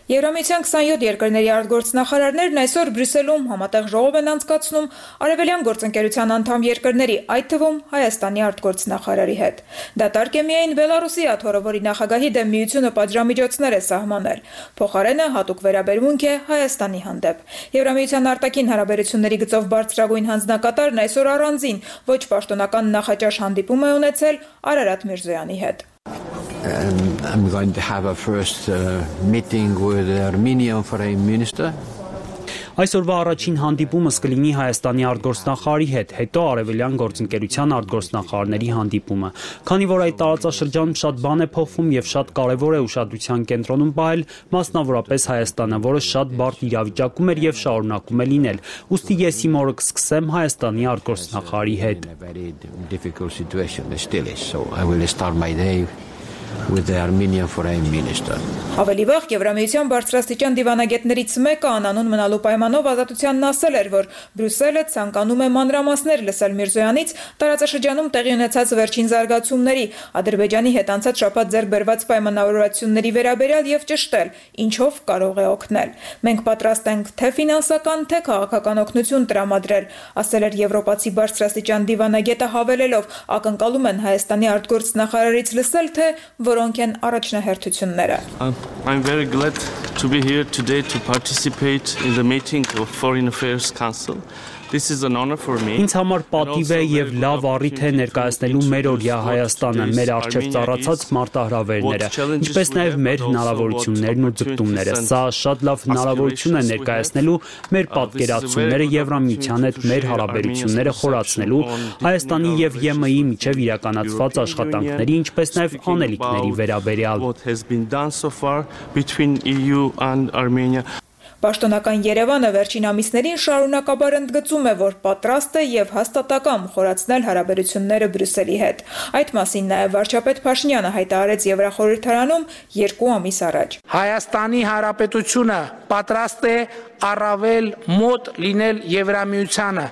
Եվրամիության քսանյոթ երկրների արտգործնախարարներն այսօր Բրյուսելում համատեղ ժողով են անցկացնում Արևելյան գործընկերության անդամ երկրների, այդ թվում Հայաստանի արտգործնախարարի հետ։ Դատարկ է միայն Բելարուսի աթոռը, որի նախագահի դեմ միությունը պատժամիջոցներ է սահմանել։ Փոխարենը հատուկ վերաբերմունք է Հայաստանի հանդեպ։ Եվրամիության արտաքին հարաբերությունների գծով բարձրագույն հանձնակատարն այսօր առանձին ոչ պաշտոնական նախաճաշ հանդիպում է ունեցել Արարատ Միրզոյանի հետ։ And I'm going to have a first uh, meeting with the Armenian Foreign Minister. Այսօրվա առաջին հանդիպումս կլինի Հայաստանի արտգործնախարարի հետ, հետո Արևելյան գործընկերության արտգործնախարարների հանդիպումը։ Քանի որ այդ տարածաշրջանում շատ բան է փոխվում եւ շատ կարեւոր է ուշադրության կենտրոնում պահել, մասնավորապես Հայաստանը, որը շատ բարդ իրավիճակում էր եւ շարունակում է լինել։ Ուստի ես իմ օրը կսկսեմ Հայաստանի արտգործնախարարի հետ։ With the Armenian Foreign Minister. Ավելի վաղ Եվրամիության բարձրաստիճան դիվանագետներից մեկը անանուն մնալու պայմանով ազատությանն ասել էր, որ Բրյուսելը ցանկանում է մանրամասներ լսել Միրզոյանից տարածաշրջանում տեղի ունեցած վերջին զարգացումների, Ադրբեջանի հետ անցած շաբաթ ձեռք բերված պայմանավորվածությունների վերաբերյալ եւ ճշտել, ինչով կարող է օգնել։ Մենք պատրաստ ենք թե ֆինանսական, թե քաղաքական օգնություն տրամադրել, ասել էր եվրոպացի բարձրաստիճան դիվանագետը, հավելելով, ակնկալում են Հայաստանի արտգործնախարարից լսել, թե որոնք են առաջնահերթությունները։ I'm very glad to be here today to participate in the meeting of Foreign Affairs Council. This is an honor for me. Ինձ համար պատիվ է եւ լավ առիթ է ներկայացնելու մեր օրյա Հայաստանը, մեր առջև ծառացած մարտահրավերները, ինչպես նաեւ մեր հնարավորություններն ու ձգտումները։ Սա շատ լավ հնարավորություն է ներկայացնելու մեր պատկերացումները Եվրամիության հետ մեր հարաբերությունները խորացնելու, Հայաստանի եւ ԵՄ-ի միջև իրականացված աշխատանքների, ինչպես նաեւ անելիքների վերաբերյալ։ What has been done so far between E U and Armenia. Պաշտոնական Երևանը վերջին ամիսներին շարունակաբար ընդգծում է, որ պատրաստ է եւ հաստատակամ խորացնել հարաբերությունները Բրյուսելի հետ։ Այդ մասին նաեւ վարչապետ Փաշինյանը հայտարարեց Եվրախորհրդարանում երկու ամիս առաջ։ Հայաստանի Հանրապետությունը պատրաստ է առավել մոտ լինել Եվրամիությանը,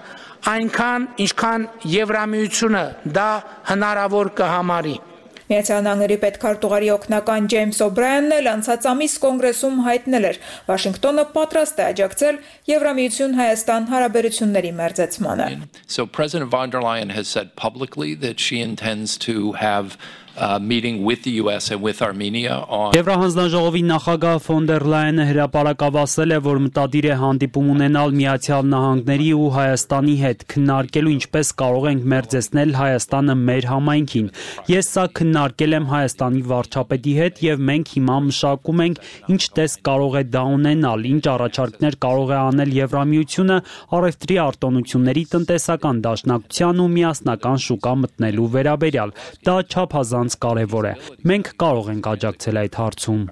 այնքան ինչքան Եվրամիությունը դա հնարավոր կհամարի։ Միացյալ Նահանգների պետքարտուղարի օգնական Ջեյմս Օբրայանն էլ անցած ամիս կոնգրեսում հայտնել էր, Վաշինգտոնը պատրաստ է աջակցել Եվրամիություն-Հայաստան հարաբերությունների մերձեցմանը. So President von der Leyen has said publicly that she intends to have Uh, meeting with the U S and with Armenia on Եվրահանձնաժողովի նախագահ ֆոն դեր Լայենը հրապարակավ ասել է, որ մտադիր է հանդիպում ունենալ Միացյալ Նահանգների ու Հայաստանի հետ, քննարկելու ինչպես կարող ենք մերձեցնել Հայաստանը մեր համայնքին։ Ես սա քննարկել եմ Հայաստանի վարչապետի հետ եւ մենք հիմա մշակում ենք ինչ տեսք կարող է դա ունենալ, ինչ առաջարկներ կարող է անել Եվրամիությունը առևտրի արտոնությունների տնտեսական դաշնակցության ու միասնական շուկա մտնելու վերաբերյալ։ Դա չափազանց կարևոր է։ Մենք կարող ենք աջակցել այդ հարցում։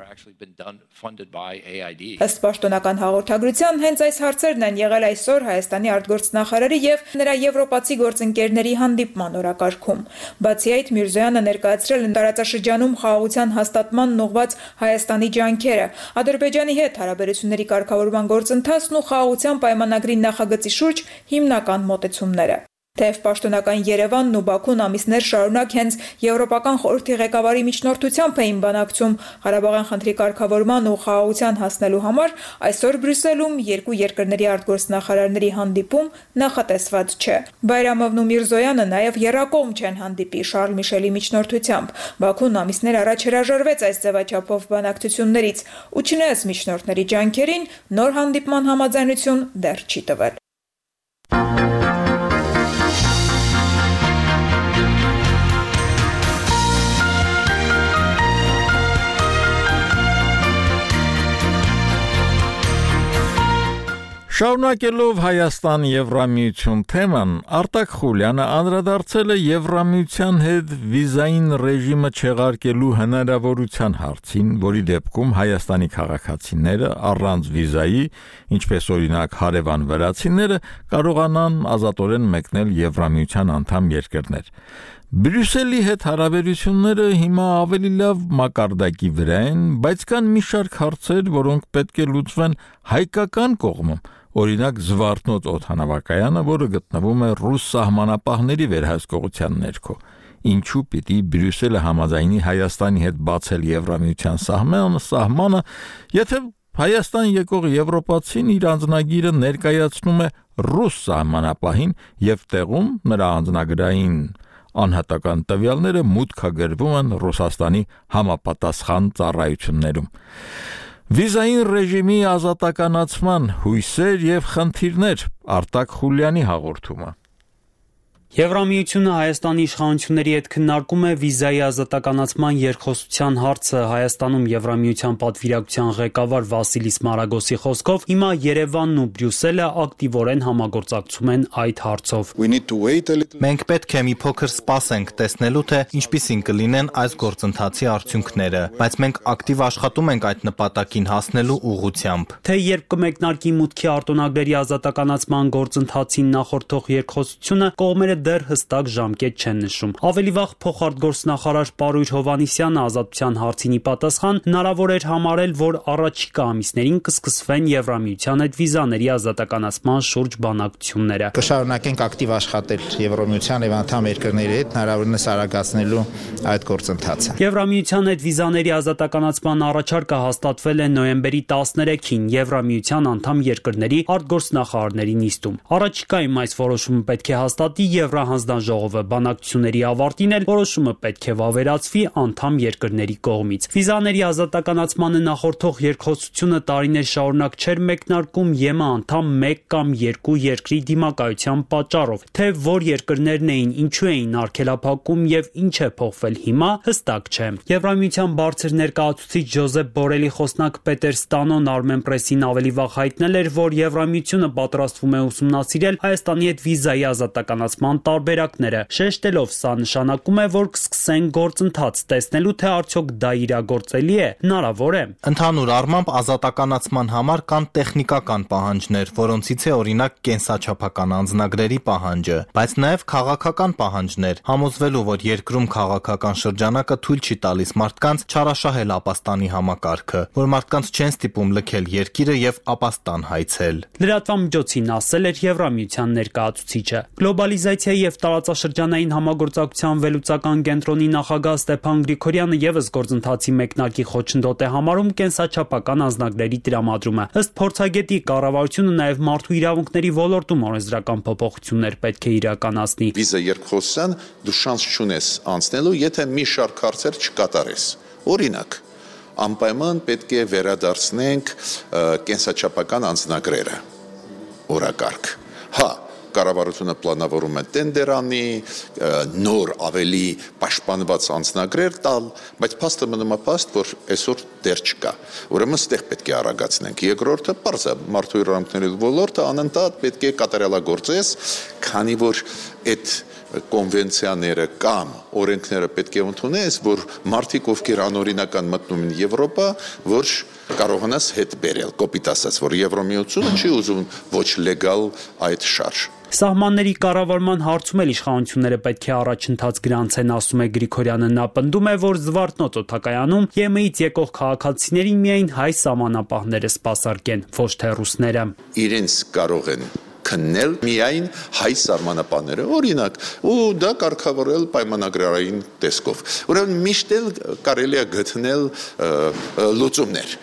Ըստ պաշտոնական հաղորդագրության, հենց այս հարցերն են եղել այսօր Հայաստանի արտգործնախարարի եւ նրա եվրոպացի գործընկերների հանդիպման օրակարգում։ Բացի այդ, Միրզոյանը ներկայացրել է տարածաշրջանում խաղաղության հաստատմանն ուղղված Հայաստանի ջանքերը, Ադրբեջանի հետ հարաբերությունների կարգավորման գործընթացն ու խաղաղության պայմանագրի նախագծի շուրջ հիմնական մոտեցումները։ Թեև պաշտոնական Երևանն ու Բաքուն ամիսներ շարունակ հենց Եվրոպական խորհրդի ղեկավարի միջնորդությամբ էին բանակցում Ղարաբաղյան խնդրի կարգավորման ու խաղաղության հասնելու համար, այսօր Բրյուսելում երկու երկրների արտգործնախարարների հանդիպում նախատեսված չէ։ Բայրամովն ու Միրզոյանը նաև եռակողմ չեն հանդիպի Շարլ Միշելի միջնորդությամբ։ Բաքուն ամիսներ առաջ հրաժարվեց այս ձևաչափով բանակցություններից ու չնայած միջնորդների ջանքերին, նոր հանդիպման համաձայնություն դեռ չի տվել։ Շարունակելով Հայաստան Եվրամիություն թեման, Արտակ Խուլյանը անդրադարձել է Եվրամիության հետ վիզային ռեժիմը չեղարկելու հնարավորության հարցին, որի դեպքում Հայաստանի քաղաքացիները առանց վիզայի, ինչպես օրինակ հարևան վրացիները, կարողանան ազատորեն մեկնել Եվրամիության անդամ երկրներ։ Բրյուսելի հետ հարաբերությունները հիմա ավելի լավ մակարդակի վրա են, բայց կան մի շարք հարցեր, որոնք պետք է լուծվեն հայկական կողմում։ Օրինակ Զվարթնոց օդանավակայանը, որը գտնվում է ռուս սահմանապահների վերահսկողության ներքո։ Ինչու պիտի Բրյուսելը համաձայնի Հայաստանի հետ բացել Եվրամիության սահմանը, սահմանը, եթե Հայաստան եկող եվրոպացին իր անձնագիրը ներկայացնում է ռուս սահմանապահին եւ տեղում նրա անձնագրային անհատական տվյալները մուտքագրվում են Ռուսաստանի համապատասխան ծառայություններում։ Վիզային ռեժիմի ազատականացման հույսեր եւ խնդիրներ Արտակ Խուլյանի հաղորդումը։ Եվրամիությունը Հայաստանի իշխանությունների հետ քննարկում է վիզայի ազատականացման երկխոսության հարցը։ Հայաստանում Եվրամիության պատվիրակության ղեկավար Վասիլիս Մարագոսի խոսքով հիմա Երևանն ու Բրյուսելը ակտիվորեն համագործակցում են այդ հարցով։ Մենք պետք է մի փոքր սպասենք տեսնելու, թե ինչպիսին կլինեն այս գործընթացի արդյունքները, բայց մենք ակտիվ աշխատում ենք այդ նպատակին հասնելու ուղղությամբ։ Թե երբ կմեկնարկի մուտքի արտոնագրերի ազատականացման գործընթացին նախորդող երկխոսությունը, կողմերը դեռ հստակ ժամկետ չեն նշում։ Ավելի վաղ փոխարտգործնախարար Պարույր Հովհաննիսյանը ազատության հարցին ի պատասխան հնարավոր էր համարել, որ առաջիկա ամիսներին կսկսվեն Եվրամիության հետ վիզաների ազատականացման շուրջ բանակցությունները։ Կշարունակենք ակտիվ աշխատել Եվրամիության եւ անդամ երկրների հետ հնարավորինս արագացնելու այդ գործընթացը։ Եվրամիության հետ վիզաների ազատականացման առաջարկը հաստատվել է նոյեմբերի տասներեքին Եվրամիության անդամ երկրների արտգործնախարարների նիստում։ Առաջիկայում այս որոշումը պետք է հաստատի Եվրահանձնաժողովը, բանակցությունների ավարտին էլ որոշումը պետք է վավերացվի անդամ երկրների կողմից։ Վիզաների ազատականացմանը նախորդող երկխոսությունը տարիներ շարունակ չէր մեկնարկում ԵՄ անդամ մեկ կամ երկու երկրի դիմակայության պատճառով, թե որ երկրներն էին, ինչու էին արգելափակում եւ ինչ է փոխվել հիմա, հստակ չէ։ Եվրամիության բարձր ներկայացուցիչ Ջոզեփ Բորելի խոսնակ Պետեր Ստանոն Armenpress-ին ավելի վաղ հայտնել էր, որ Եվրամիությունը պատրաստվում է ուսումնասիրել Հայաստանի հետ վիզայի ազատականացման տարբերակները, շեշտելով սա նշանակում է, որ կսկսեն գործընթաց տեսնելու, թե արդյոք դա իրագործելի է, հնարավոր է։ Ընդհանուր առմամբ ազատականացման համար կան տեխնիկական պահանջներ, որոնցից է օրինակ կենսաչափական անձնագրերի պահանջը, բայց նաև քաղաքական պահանջներ, համոզվելու, որ երկրում քաղաքական շրջանակը թույլ չի տալիս մարդկանց չարաշահել ապաստանի համակարգը, որ մարդկանց չեն ստիպում լքել երկիրը եւ ապաստան հայցել։ Լրատվամիջոցին ասել էր Եվրամիության ներկայացուցիչը։ Գլոբալիզացիայի Կոալիցիայի եւ տարածաշրջանային համագործակցության վերլուծական կենտրոնի նախագահ Ստեփան Գրիգորյանը եւս գործընթացի մեկնարկի խոչընդոտ է համարում կենսաչափական անձնագրերի տրամադրումը։ Ըստ փորձագետի, կառավարությունը նաեւ մարդու իրավունքների ոլորտում օրենսդրական փոփոխություններ պետք է իրականացնի։ Վիզա երկխոսության դու շանս չունես անցնելու, եթե մի շարք հարցեր չկատարես։ Օրինակ, անպայման պետք է վերադարձնենք կենսաչափական անձնագրերը օրակարգ։ Հա, կառավարությունը պլանավորում է տենդեր անի, նոր ավելի պաշտպանված անձնագրեր տալ, բայց փաստը մնում է փաստ, որ այսօր դեռ չկա։ Ուրեմն ստեղ պետք է արագացնենք։ Երկրորդը պարզ է, մարդու իրավունքների ոլորտը անընդհատ պետք է կատարելագործես, քանի որ այդ կոնվենցիաները կամ օրենքները պետք է ընդունես, որ մարդիկ, ովքեր անօրինական մտնում են Եվրոպա, որ կարողանաս հետ բերել, կոպիտ ասած, որ Եվրոմիությունը չի ուզում ոչ լեգալ այդ շարժ։ Սահմանների կառավարման հարցում էլ իշխանությունները պետք է առաջընթաց գրանցեն, ասում է Գրիգորյանը։ Նա պնդում է, որ Զվարթնոց օդակայանում ԵՄ-ից եկող քաղաքացիներին միայն հայ սահմանապահները սպասարկեն, ոչ թե ռուսները։ Իրենց կարող են քննել միայն հայ սահմանապահները, օրինակ, ու դա կարգավորել պայմանագրային տեսքով։ Ուրեմն միշտ էլ կարելի է գտնել լուծումներ,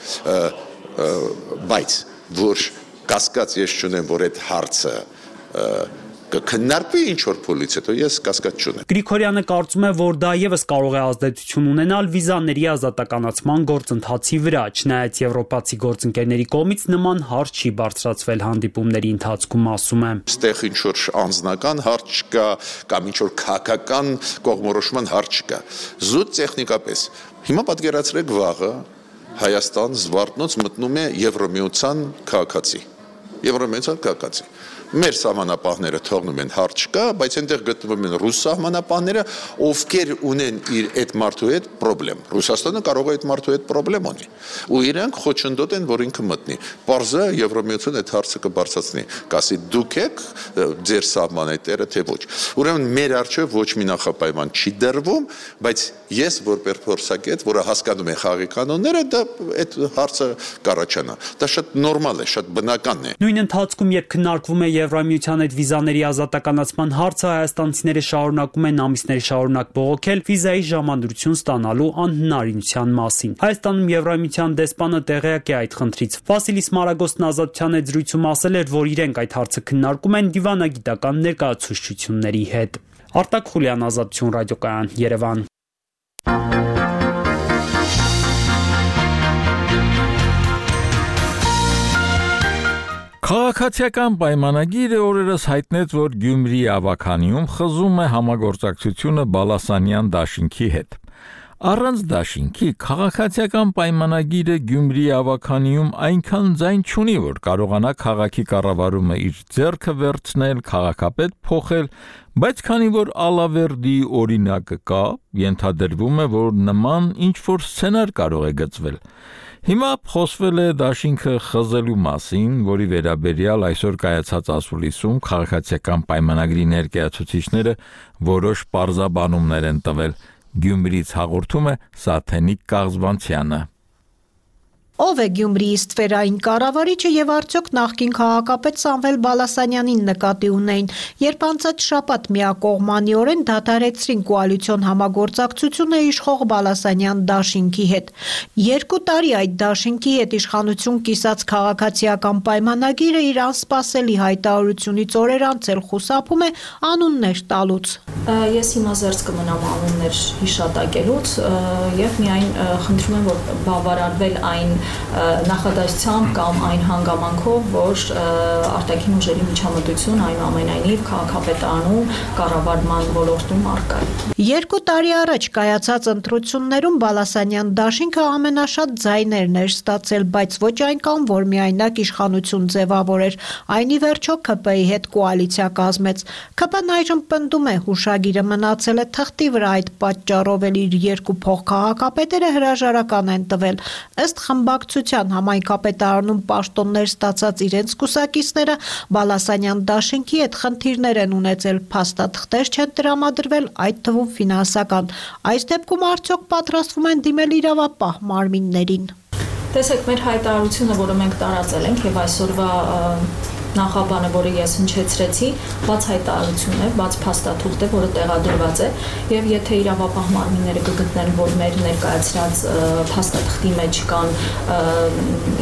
բայց որ կասկած ես չունեմ, որ այդ հարցը կքննարկվի ինչ-որ փուլից հետո, ես կասկած չունեմ։ Գրիգորյանը կարծում է, որ դա եւս կարող է ազդեցություն ունենալ վիզաների ազատականացման գործընթացի վրա, չնայած եվրոպացի գործընկերների կողմից նման հարց չի բարձրացվել հանդիպումների ընթացքում, ասում է։ Ստեղ ինչ-որ անձնական հարց չկա, կամ ինչ-որ քաղաքական կողմնորոշման հարց չկա։ Զուտ տեխնիկապես։ Հիմա պատկերացրեք վաղը Հայաստան Զվարթնոց մտնում է Եվրոմիության քաղաքացի։ Եվրոմիության քաղաքացի։ Մեր սահմանապահները թողնում են հարց չկա, բայց այնտեղ գտնվում են ռուս սահմանապահները, ովքեր ունեն իր այդ մարդու հետ խնդրեմ։ Ռուսաստանը կարող է այդ մարդու հետ խնդրեմ ունի։ Ու իրանք խոչընդոտ են, որ ինքը մտնի։ Պարզը Եվրոմիությունը այդ հարցը կբարձրացնի, կասի դուք եք ձեր սահմանի տերը, թե ոչ։ Ուրեմն մեր առջև ոչ մի նախապայման չի դրվում, բայց ես որպես փորձագետ, որը հասկանում է խաղի կանոնները, դա այդ հարցը կառաջանա։ Դա շատ նորմալ է, շատ բնական է։ Նույն ընթացքում, երբ քննարկվում է Եվրամիության այդ վիզաների ազատականացման հարցը, հայաստանցիները շարունակում են ամիսներ շարունակ բողոքել վիզայի ժամադրություն ստանալու անհնարինության մասին։ Հայաստանում Եվրամիության դեսպանը տեղյակ է այդ խնդրից։ Վասիլիս Մարագոսն Ազատության այդ զրույցում ասել էր, որ իրենք այդ հարցը քննարկում են դիվանագիտական ներկայացուցչությունների հետ։ Արտակ Խուլյան, Ազատություն ռադիոկայան, Երևան։ Քաղաքացիական պայմանագիրը օրերս հայտնեց, որ Գյումրի ավականիում խզում է համագործակցությունը Բալասանյան դաշինքի հետ։ Առանց դաշինքի քաղաքացիական պայմանագիրը Գյումրի ավականիում այնքան ձայն չունի, որ կարողանա քաղաքի կառավարումը իր ձեռքը վերցնել, քաղաքապետ փոխել, բայց քանի որ Ալավերդի օրինակը կա, ենթադրվում է, որ նման ինչ-որ սցենար կարող է գծվել։ Հիմա խոսվել է դաշինքը խզելու մասին, որի վերաբերյալ այսօր կայացած ասուլիսում քաղաքացիական պայմանագրի ներկայացուցիչները որոշ պարզաբանումներ են տվել։ Գյումրիից հաղորդում է Սաթենիկ Կաղզբանցյանը։ Ով է Գյումրիի ստվերային կառավարիչը եւ արդյոք նախկին քաղաքապետ Սամվել Բալասանյանին նկատի ունեին, երբ անցած շաբաթ միակողմանիորեն դադարեցրին կոալիցիոն համագործակցությունը իշխող Բալասանյան դաշինքի հետ։ Երկու տարի այդ դաշինքի հետ իշխանություն կիսած քաղաքացիական պայմանագիրը իր անսպասելի հայտարարությունից օրեր անց էլ խուսափում է անուններ տալուց։ Ես հիմա զերծ կմնամ անուններ հիշատակելուց եւ միայն խնդրում եմ, որ բավարարվել այն նախադասությամբ կամ այն հանգամանքով, որ արտաքին ուժերի միջամտություն այնուամենայնիվ քաղաքապետարանում կառավարման ոլորտում առկա է։ Երկու տարի առաջ կայացած ընտրություններում Բալասանյան դաշինքը ամենաշատ ձայներն էր ստացել, բայց ոչ այնքան, որ միայնակ իշխանություն ձևավորեր, այն ի վերջո ՔՊ-ի հետ կոալիցիա կազմեց։ ՔՊ-ն այժմ պնդում է հուշագիրը մնացել է թղթի վրա, այդ պատճառով էլ իր երկու փոխքաղաքապետերը հրաժարական են տվել։ Ըստ խմբակցության համայնքապետարանում պաշտոններ ստացած իրենց կուսակիցները Բալասանյան դաշինքի հետ խնդիրներ են ունեցել, փաստաթղթեր չեն տրամադրվել, այդ թվում ֆինանսական։ Այս դեպքում արդյոք պատրաստվում են դիմել իրավապահ մարմիններին։ Տեսեք, մեր հայտարարությունը, որը մենք տարածել ենք եւ այսօրվա նախաբանը, որը ես հնչեցրեցի, բաց հայտարարություն է, բաց փաստաթուղթ է, որը տեղադրված է, եւ եթե իրավապահ մարմինները կգտնեն, որ մեր ներկայացրած փաստաթղթի մեջ կան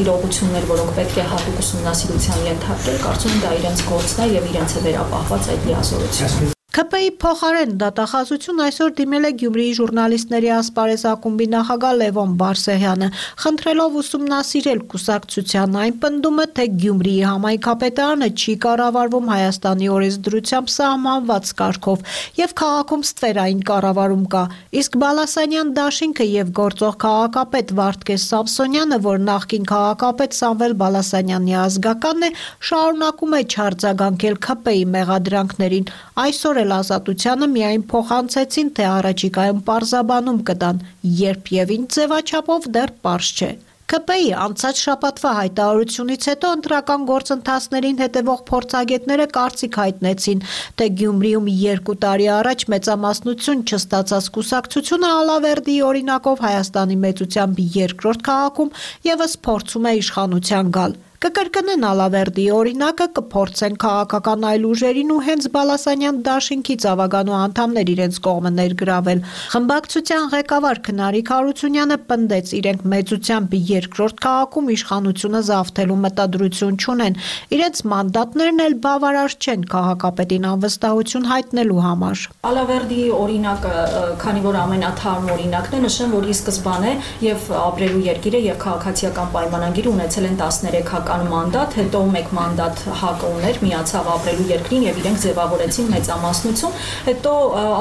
իրողություններ, որոնք պետք է հատուկ ուսումնասիրության ենթարկել, կարծում եմ դա իրենց գործն է եւ իրենց է վերապահված այդ լիազորությունը։ K P I փոխարեն դատախազություն այսօր դիմել է Գյումրիի ժուրնալիստների ասպարեզ ակումբի նախագահ Լևոն Բարսեղյանը, խնդրելով ուսումնասիրել կուսակցության այն պնդումը, թե Գյումրիի համայնքապետարանը չի կառավարվում Հայաստանի օրենսդրությամբ սահմանված կարգով եւ քաղաքում ստվերային կառավարում կա, իսկ Բալասանյան դաշինքը եւ գործող քաղաքապետ Վարդգես Սամսոնյանը, որ նախկին քաղաքապետ Սամվել Բալասանյանի ազգականն է, շարունակում է չարձագանքել K P I մեղադրանքներին, այսօր Ազատությանը միայն փոխանցեցին, թե առաջիկայում պարզաբանում կտան, երբ եւ ինչ ձևաչափով դեռ պարզ չէ։ K P I անցած շաբաթվա հայտարարությունից հետո ընտրական գործընթացներին հետևող փորձագետները կարծիք հայտնեցին, թե Գյումրիում երկու տարի առաջ մեծամասնություն չստացած կուսակցությունը Ալավերդիի օրինակով Հայաստանի մեծությամբ երկրորդ քաղաքում եւս փորձում է իշխանության գալ։ Կկրկնեն Ալավերդիի օրինակը, կփորձեն քաղաքական այլ ուժերին ու հենց Բալասանյան դաշինքից ավագանու անդամներ իրենց կողմը ներգրավել։ Խմբակցության ղեկավար Քնարիկ Հարությունյանը պնդեց, իրենք մեծությամբ երկրորդ քաղաքում իշխանությունը զավթելու մտադրություն չունեն, իրենց մանդատներն էլ բավարար չեն քաղաքապետին անվստահություն հայտնելու համար։ Ալավերդիի օրինակը, քանի որ ամենաթարմ օրինակն է, նշեմ, որ ի սկզբանե եւ ապրելու երկիրը եւ քաղաքացիական պայմանագիր ունեցել են տասներեք մանդատ, հետո մեկ մանդատ ՀԱԿ-ը ուներ, միացավ ապրելու երկրին եւ իրենք ձևավորեցին մեծամասնություն, հետո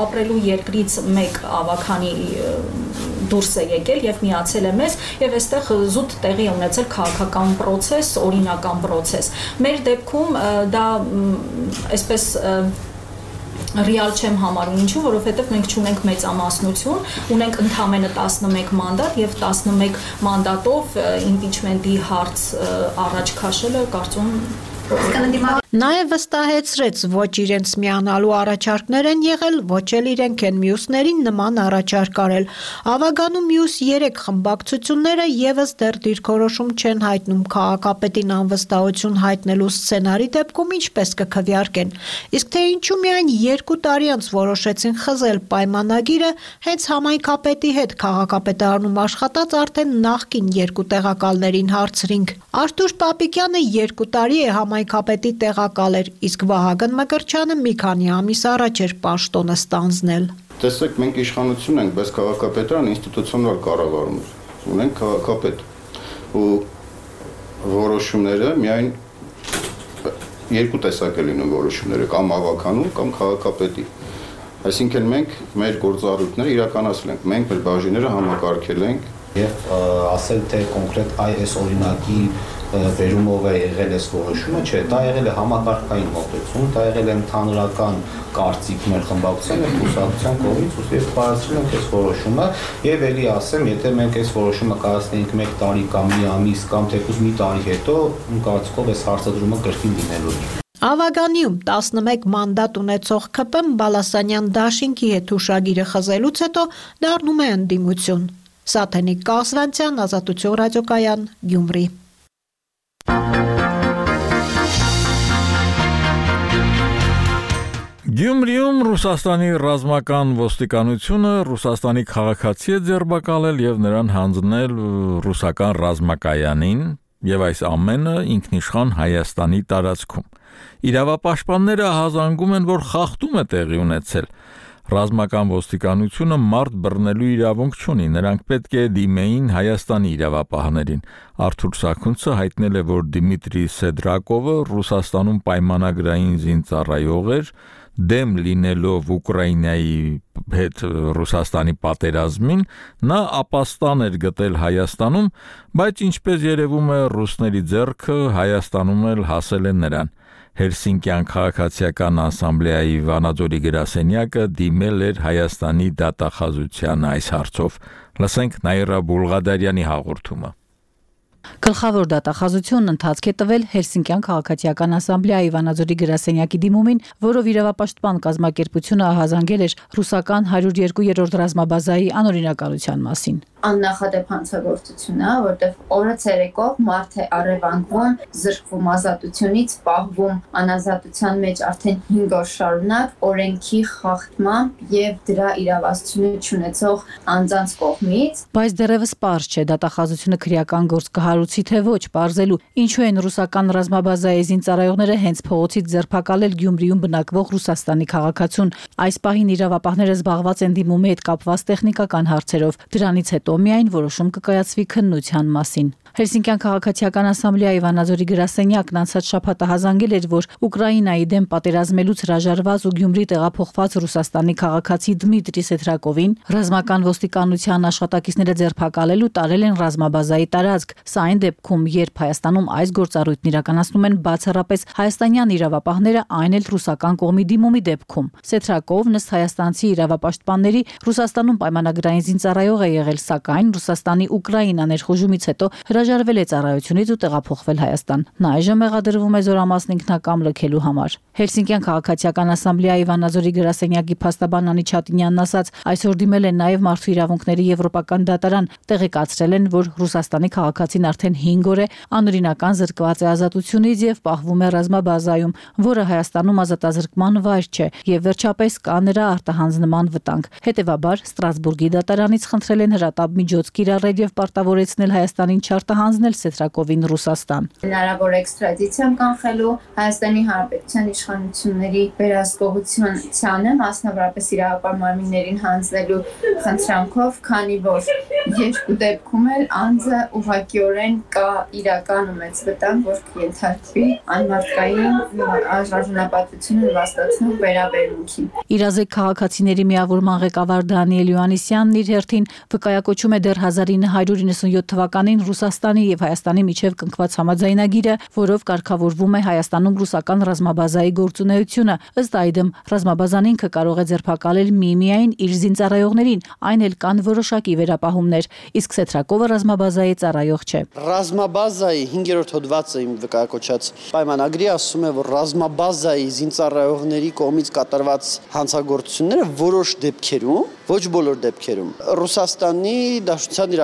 ապրելու երկրից մեկ ավագանի դուրս է եկել եւ միացել է մեզ եւ այստեղ զուտ տեղի ունեցել քաղաքական process, օրինական process։ Մեր դեպքում դա այսպես ռեալ չեմ համարում, ինչու, որովհետև մենք չունենք մեծամասնություն, ունենք ընդամենը տասնմեկ մանդատ եւ տասնմեկ մանդատով իմպիչմենտի հարց առաջ քաշելը կարծում Նաև վստահեցրեց, ոչ իրենց միանալու առաջարկներ են եղել, ոչ էլ իրենք են մյուսներին նման առաջարկ արել։ Ավագանու մյուս երեք խմբակցությունները եւս դեռ դիրքորոշում չեն հայտնում քաղաքապետին անվստահություն հայտնելու սցենարի դեպքում ինչպես կքվեարկեն։ Իսկ թե ինչու միայն երկու տարի անց որոշեցին խզել պայմանագիրը, հենց համայնքապետի հետ քաղաքապետարանում աշխատած արդեն նախկին երկու տեղակալներին հարցրինք։ Արթուր Պապիկյանը երկու տարի է համայնքապետի տեղակալ էր, իսկ Վահագն Մկրտչյանը մի քանի ամիս առաջ էր պաշտոնը ստանձնել։ Տեսեք, մենք իշխանություն ենք, բայց քաղաքապետարան ինստիտուցիոնալ կառավարում է։ Ունենք քաղաքապետ ու որոշումները միայն երկու տեսակ է լինում որոշումները, կամ ավականու, կամ քաղաքապետի։ Այսինքն մենք մեր գործառույթները իրականացրել ենք, մենք մեր բաժինները համակարգել ենք եւ ասել թե կոնկրետ այս օրինակի վերումով է եղել այս որոշումը, չէ, դա եղել է համակարգային մոտեցում, դա եղել է ընդհանրական կարծիք մեր խմբակցության եւ կուսակցության կողմից, ու ես բարձրացրել ենք այս որոշումը եւ ելի ասեմ, եթե մենք այս որոշումը կայացնեինք մեկ տարի կամ մի ամիս կամ թեկուզ մի տարի հետո, կարծիքով այս հարցադրումը կրկին լինելու էր։ Ավագանիում տասնմեկ մանդատ ունեցող K P I Բալասանյան դաշինքի հետ հուշագիրը խզելուց հետո դառնում է ընդդիմություն։ Սաթենիկ Կասրանցյան, Ազատություն ռադիոկայան, Գյումրի։ Գյումրիում Ռուսաստանի ռազմական ոստիկանությունը Ռուսաստանի քաղաքացի է ձերբակալել եւ նրան հանձնել ռուսական ռազմակայանին եւ այս ամենը ինքնիշխան Հայաստանի տարածքում։ Իրավապաշտպանները հազանգում են, որ խախտում է տեղի ունեցել։ Ռազմական ոստիկանությունը մարդ բռնելու իրավունք չունի, նրանք պետք է դիմեին Հայաստանի իրավապահներին։ Արթուր Սաքունցը հայտնել է, որ Դիմիտրի Սեդրակովը Ռուսաստանում պայմանագրային զինծառայող էր, դեմ լինելով Ուկրաինայի հետ Ռուսաստանի պատերազմին, նա ապաստան էր գտել Հայաստանում, բայց ինչպես երևում է, ռուսների ձեռքը Հայաստանում էլ հասել է նրան։ Հելսինկյան քաղաքացիական ասամբլեայի Վանաձորի գրասենյակը դիմել էր Հայաստանի դատախազության այս հարցով։ Լսենք Նաիրա Բուլղադարյանի հաղորդումը։ Գլխավոր դատախազությունն ընթացք է տվել Հելսինկյան քաղաքացիական ասամբլեայի Վանաձորի գրասենյակի դիմումին, որով իրավապաշտպան կազմակերպությունը ահազանգել էր ռուսական հարյուր երկու երրորդ ռազմաբազայի անօրինականության մասին։ աննախադեպ հանցագործություն է, որտեղ օրը ցերեկով մարդ է առևանգվում, զրկվում ազատությունից, պահվում անազատության մեջ արդեն հինգ օր շարունակ օրենքի խախտմամբ եւ դրա իրավասությունը չունեցող անձանց կողմից։ Բայց դեռևս պարզ չէ դատախազությունը քրեական գործ կհարուցի թե ոչ, պարզելու ինչու են ռուսական ռազմաբազայի զինծառայողները հենց փողոցից ձերբակալել Գյումրիում բնակվող Ռուսաստանի քաղաքացուն։ Այս պահին իրավապահները զբաղված են դիմումի հետ կապված տեխնիկական հարցերով։ Դրանից հետո միայն որոշում կկայացվի քննության մասին։ Հելսինկյան քաղաքացիական ասամբլեայի Վանաձորի գրասենյակն անցած շաբաթ հազանգել էր, որ Ուկրաինայի դեմ պատերազմելուց հրաժարված ու Գյումրի տեղափոխված Ռուսաստանի քաղաքացի Դմիտրի Սեթրակովին ռազմական ոստիկանության աշխատակիցները ձերբակալել ու տարել են ռազմաբազայի տարածք։ Սա այն դեպքում, երբ Հայաստանում այս գործառույթն իրականացնում են բացառապես հայաստանյան իրավապահները, այն էլ ռուսական կողմի դիմումի դեպքում։ Սեթրակովն ըստ հայաստանցի իրավապաշտպանների Ռուսաստանում պայմանագրային զինծառայող է եղել, սակայն Ռուսաստանի Ուկրաինա ներխուժումից հետո հրաժարվել է ծառայությունից ու տեղափոխվել Հայաստան։ Նա այժմ մեղադրվում է զորամասն ինքնակամ լքելու համար։ Հելսինկյան քաղաքացիական ասամբլեայի Վանաձորի գրասենյակի փաստաբան Անի Չատինյանն ասաց, այսօր դիմել են նաև մարդու իրավունքների եվրոպական դատարան, տեղեկացրել են, որ Ռուսաստանի քաղաքացին արդեն հինգ օր է անօրինական զրկված է ազատությունից եւ պահվում է ռազմաբազայում, որը Հայաստանում ազատազրկման վայր չէ, եւ վերջապես կա նրա արտահանձնման վտանգ։ Հետևաբար Ստրասբուրգի դատարանից խնդրել են հրատապ միջոց կիրառել եւ պարտավորեցնել Հայաստանին չարտահանձնել Սեթրակովին Ռուսաստան։ Հնարավոր էքստրադիցիան կանխելու Հայաստանի Հանրապետության իշխանությունների վերահսկողությանը, մասնավորապես իրավապահ մարմիններին հանձնելու խնդրանքով, քանի որ երկու դեպքում էլ անձը ուղղակիորեն կա իրական ու մեծ վտանգ, որ կենթարկվի անմարդկային արժանապատվությունը նվաստացնող վերաբերմունքին։ Իրազեկ քաղաքացիների միավորման ղեկավար Դանիել Յոհաննիսյանն իր հերթին վկայակոչում է դեռ հազար ինը հարյուր իննսունյոթ թվականին Ռուսաստանի եւ Հայաստանի միջև կնքված համաձայնագիրը, որով կարգավորվում է Հայաստանում ռուսական ռազմաբազայի գործունեությունը։ Ըստ այդմ ռազմաբազան ինքը կարող է ձերբակալել միմիայն իր զինծառայողներին, այն էլ կան որոշակի վերապահումներ, իսկ Սեթրակովը ռազմաբազայի ծառայող չէ։ Ռազմաբազայի հինգերորդ հոդվածը իմ վկայակոչած պայմանագրի ասում է, որ ռազմաբազայի զինծառայողների կողմից կատարված հանցագործությունները որոշ դեպքերում, ոչ բոլոր դեպքերում, Ռուսաստանի Դաշնության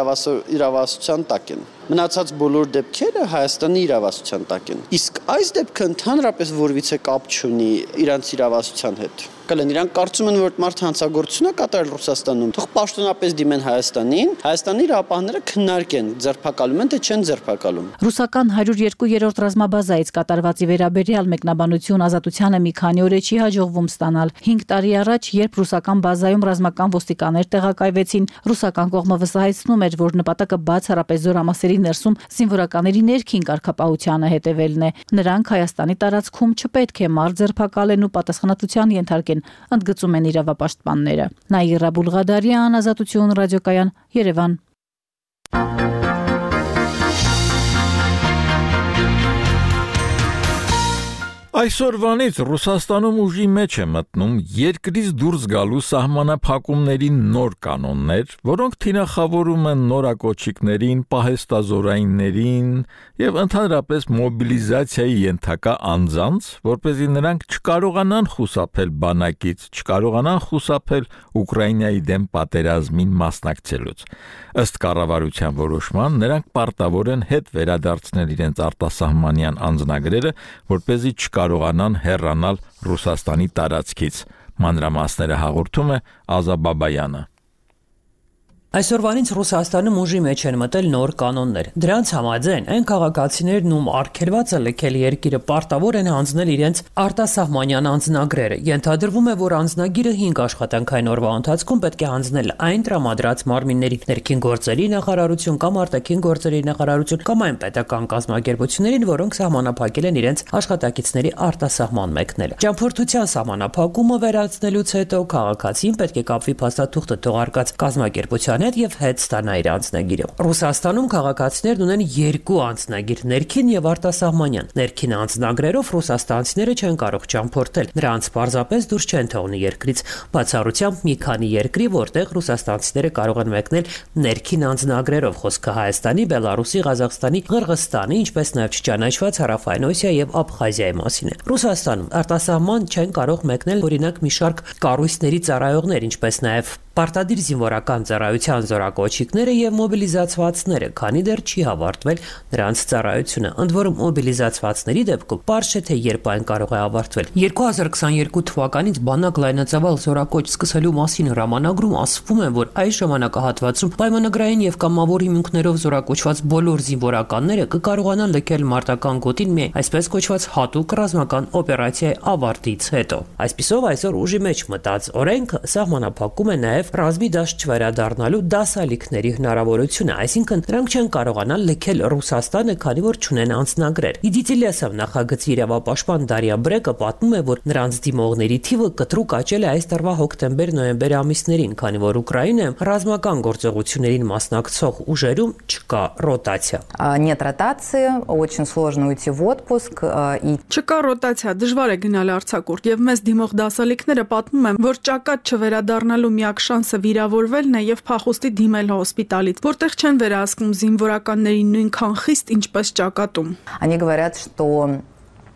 իրավասության տակ են։ Մնացած բոլոր դեպքերը Հայաստանի իրավասության տակ են։ Իսկ այս դեպքը ընդհանրապես որևիցե կապ չունի իրանց իրավասության հետ։ Կլեն իրանք կարծում են, որ մարդ հանցագործություն է կատարել Ռուսաստանում, թող պաշտոնապես դիմեն Հայաստանին, Հայաստանի իրավապահները քննարկեն, ձերբակալում են թե չեն ձերբակալում։ Ռուսական հարյուր երկու ռազմաբազայից կատարվածի վերաբերյալ մեկնաբանություն Ազատությանը մի քանի օր է չի հաջողվում ստանալ։ հինգ տարի առաջ, երբ ռուսական բազայում ռազմական ոստիկաններ տեղակայվեցին, ռուսական կողմը վստահեցնում էր, որ նպատակը բացառապես զորամասերի ներսում զինվորականների ներքին կարգապահությանը հետևելն է։ Նրանք Հայաստանի տարածքում չպետք է մարդ ձերբակալեն ու պատասխանատվության ենթարկեն, ընդգծում են իրավապաշտպանները։ Նաիրա Բուլղադարյան, Ազատություն ռադիոկայան, Երևան։ Այսօրվանից Ռուսաստանում ուժի մեջ է մտնում երկրից դուրս գալու սահմանափակումների նոր կանոններ, որոնք թիրախավորում են նորակոչիկներին, պահեստազորայիններին եւ ընդհանրապես մոբիլիզացիայի ենթակա անձանց, որպեսզի նրանք չկարողանան խուսափել բանակից, չկարողանան խուսափել Ուկրաինայի դեմ պատերազմին մասնակցելուց։ Ըստ կառավարության որոշման, նրանք պարտավոր են հետ վերադարձնել իրենց արտասահմանյան անձնագրերը, որպեսզի չկարողանան հեռանալ Ռուսաստանի տարածքից։ Մանրամասները հաղորդում է Ազա Բաբայանը։ Այսօրվանից Ռուսաստանում ուժի մեջ են մտել նոր կանոններ։ Դրանց համաձայն այն քաղաքացիներն ում արգելված է լքել երկիրը պարտավոր են հանձնել իրենց արտասահմանյան անձնագրերը։ Ենթադրվում է, որ անձնագիրը հինգ աշխատանքային օրվա ընթացքում պետք է հանձնել այն տրամադրած մարմինների, ներքին գործերի նախարարություն կամ արտաքին գործերի նախարարություն կամ այն պետական կազմակերպություններին, որոնք սահմանափակել են իրենց աշխատակիցների արտասահման մեկնելը։ Ճամփորդության սահմանափակումը վերացնելուց հետո քաղաքացին պետք է կապվի փաստաթուղթը թողարկած կազմակերպության հետ եւ հետ ստանա իր անձնագիրը։ Ռուսաստանում քաղաքացիներն ունեն երկու անձնագիր՝ ներքին եւ արտասահմանյան։ Ներքին անձնագրերով ռուսաստանցիները չեն կարող ճամփորդել, նրանց պարզապես դուրս չեն թողնի երկրից, բացառությամբ մի քանի երկրի, որտեղ ռուսաստանցիները կարող են մեկնել ներքին անձնագրերով, խոսքը Հայաստանի, Բելարուսի, Ղազախստանի, Ղրղստանի, ինչպես նաեւ չճանաչված Հարավային Օսիա եւ Աբխազիայի մասին է։ Ռուսաստանում արտասահման չեն կարող մեկնել օրինակ մի շարք կառույցների ծառայողներ, ինչպես նաեւ պարտադիր զինվորական ծառայության կրթության զորակոչիկները եւ մոբիլիզացվածները, քանի դեռ չի ավարտվել նրանց ծառայությունը։ Ընդ որում մոբիլիզացվածների դեպքում պարզ չէ թե երբ այն կարող է ավարտվել։ երկու հազար քսաներկու թվականից բանակ լայնածավալ զորակոչ սկսելու մասին հրամանագրում ասվում է, որ այս ժամանակահատվածում պայմանագրային եւ կամավոր հիմունքներով զորակոչված բոլոր զինվորականները կկարողանան լքել մարտական գոտին միայն այսպես կոչված հատուկ ռազմական օպերացիայի ավարտից հետո։ Այսպիսով այսօր ուժի մեջ մտած օրենքը սահմանափակում է նաև ռազմի դաշտ չվերադառնալու դասալիքների հնարավորությունը, այսինքն նրանք չեն կարողանալ լքել Ռուսաստանը, քանի որ չունեն անձնագրեր։ Իդիցիլիասով նախագծի իրավապաշտպան Դարիա Բրեկը պատմում է, որ նրանց դիմողների թիվը կտրուկ աճել է այս տարվա հոկտեմբեր-նոյեմբեր ամիսներին, քանի որ Ուկրաինայում ռազմական գործողություններին մասնակցող ուժերում չկա ռոտացիա։ Нет ротации, очень сложно уйти в отпуск и Չկա ռոտացիա, դժվար է գնալ արձակուրդ եւ մեզ դիմող դասալիքները պատմում են, որ ճակատ չվերադառնալու միակ շանսը վիրավորվելն է եւ փախուստի դիմել հոսպիտալից, որտեղ չեն վերահսկում զինվորականներին նույնքան խիստ, ինչպես ճակատում։ Они говорят, что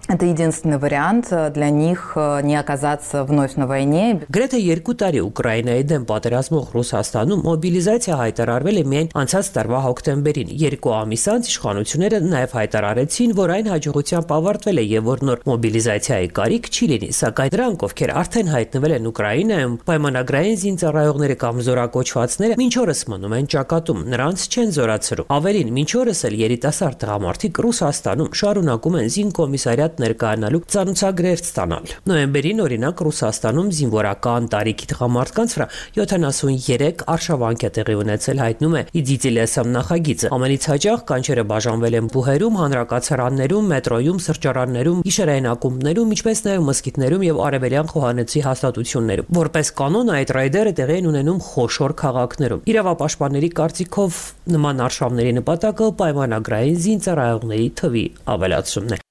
это единственный вариант для них не оказаться вновь на войне. Գրեթե երկու տարի Ուկրաինայի դեմ պատերազմող Ռուսաստանում մոբիլիզացիա հայտարարվել է միայն անցած տարվա հոկտեմբերին։ Երկու ամիս անց իշխանությունները նաև հայտարարեցին, որ այն հաջողությամբ ավարտվել է եւ որ նոր մոբիլիզացիայի կարիք չի լինի, սակայն դրանք, ովքեր արդեն հայտնվել են Ուկրաինայում, պայմանագրային զինծառայողները կամ զորակոչվածները մինչ օրս մնում են ճակատում, նրանց չեն զորացրում։ Ավելին, մինչ օրս էլ երիտասարդ տղամարդիկ Ռուսաստանում շարունակում են զինկոմիսարիատ ներկայանալու ծանուցագրեր ստանալ։ Նոյեմբերին օրինակ Ռուսաստանում զինվորական տարիքի տղամարդկանց վրա յոթանասունյերեք արշավանք է տեղի ունեցել, հայտնում է Իդիցիլիասամ նախագիծը։ Ամենից հաճախ կանչերը բաժանվել են բուհերում, հանրակացարաններում, մետրոյում, սրճարաններում, գիշերային ակումբներում, ինչպես նաև մզկիթներում եւ արևելյան խոհանոցի հաստատություններում։ Որպես կանոն այդ ռայդերը տեղի են ունենում խոշոր քաղաքներում։ Իրավապաշտպանների կարծիքով նման արշավների նպատակը պայմանագրային զինծառայողների թվի ավելացումն է։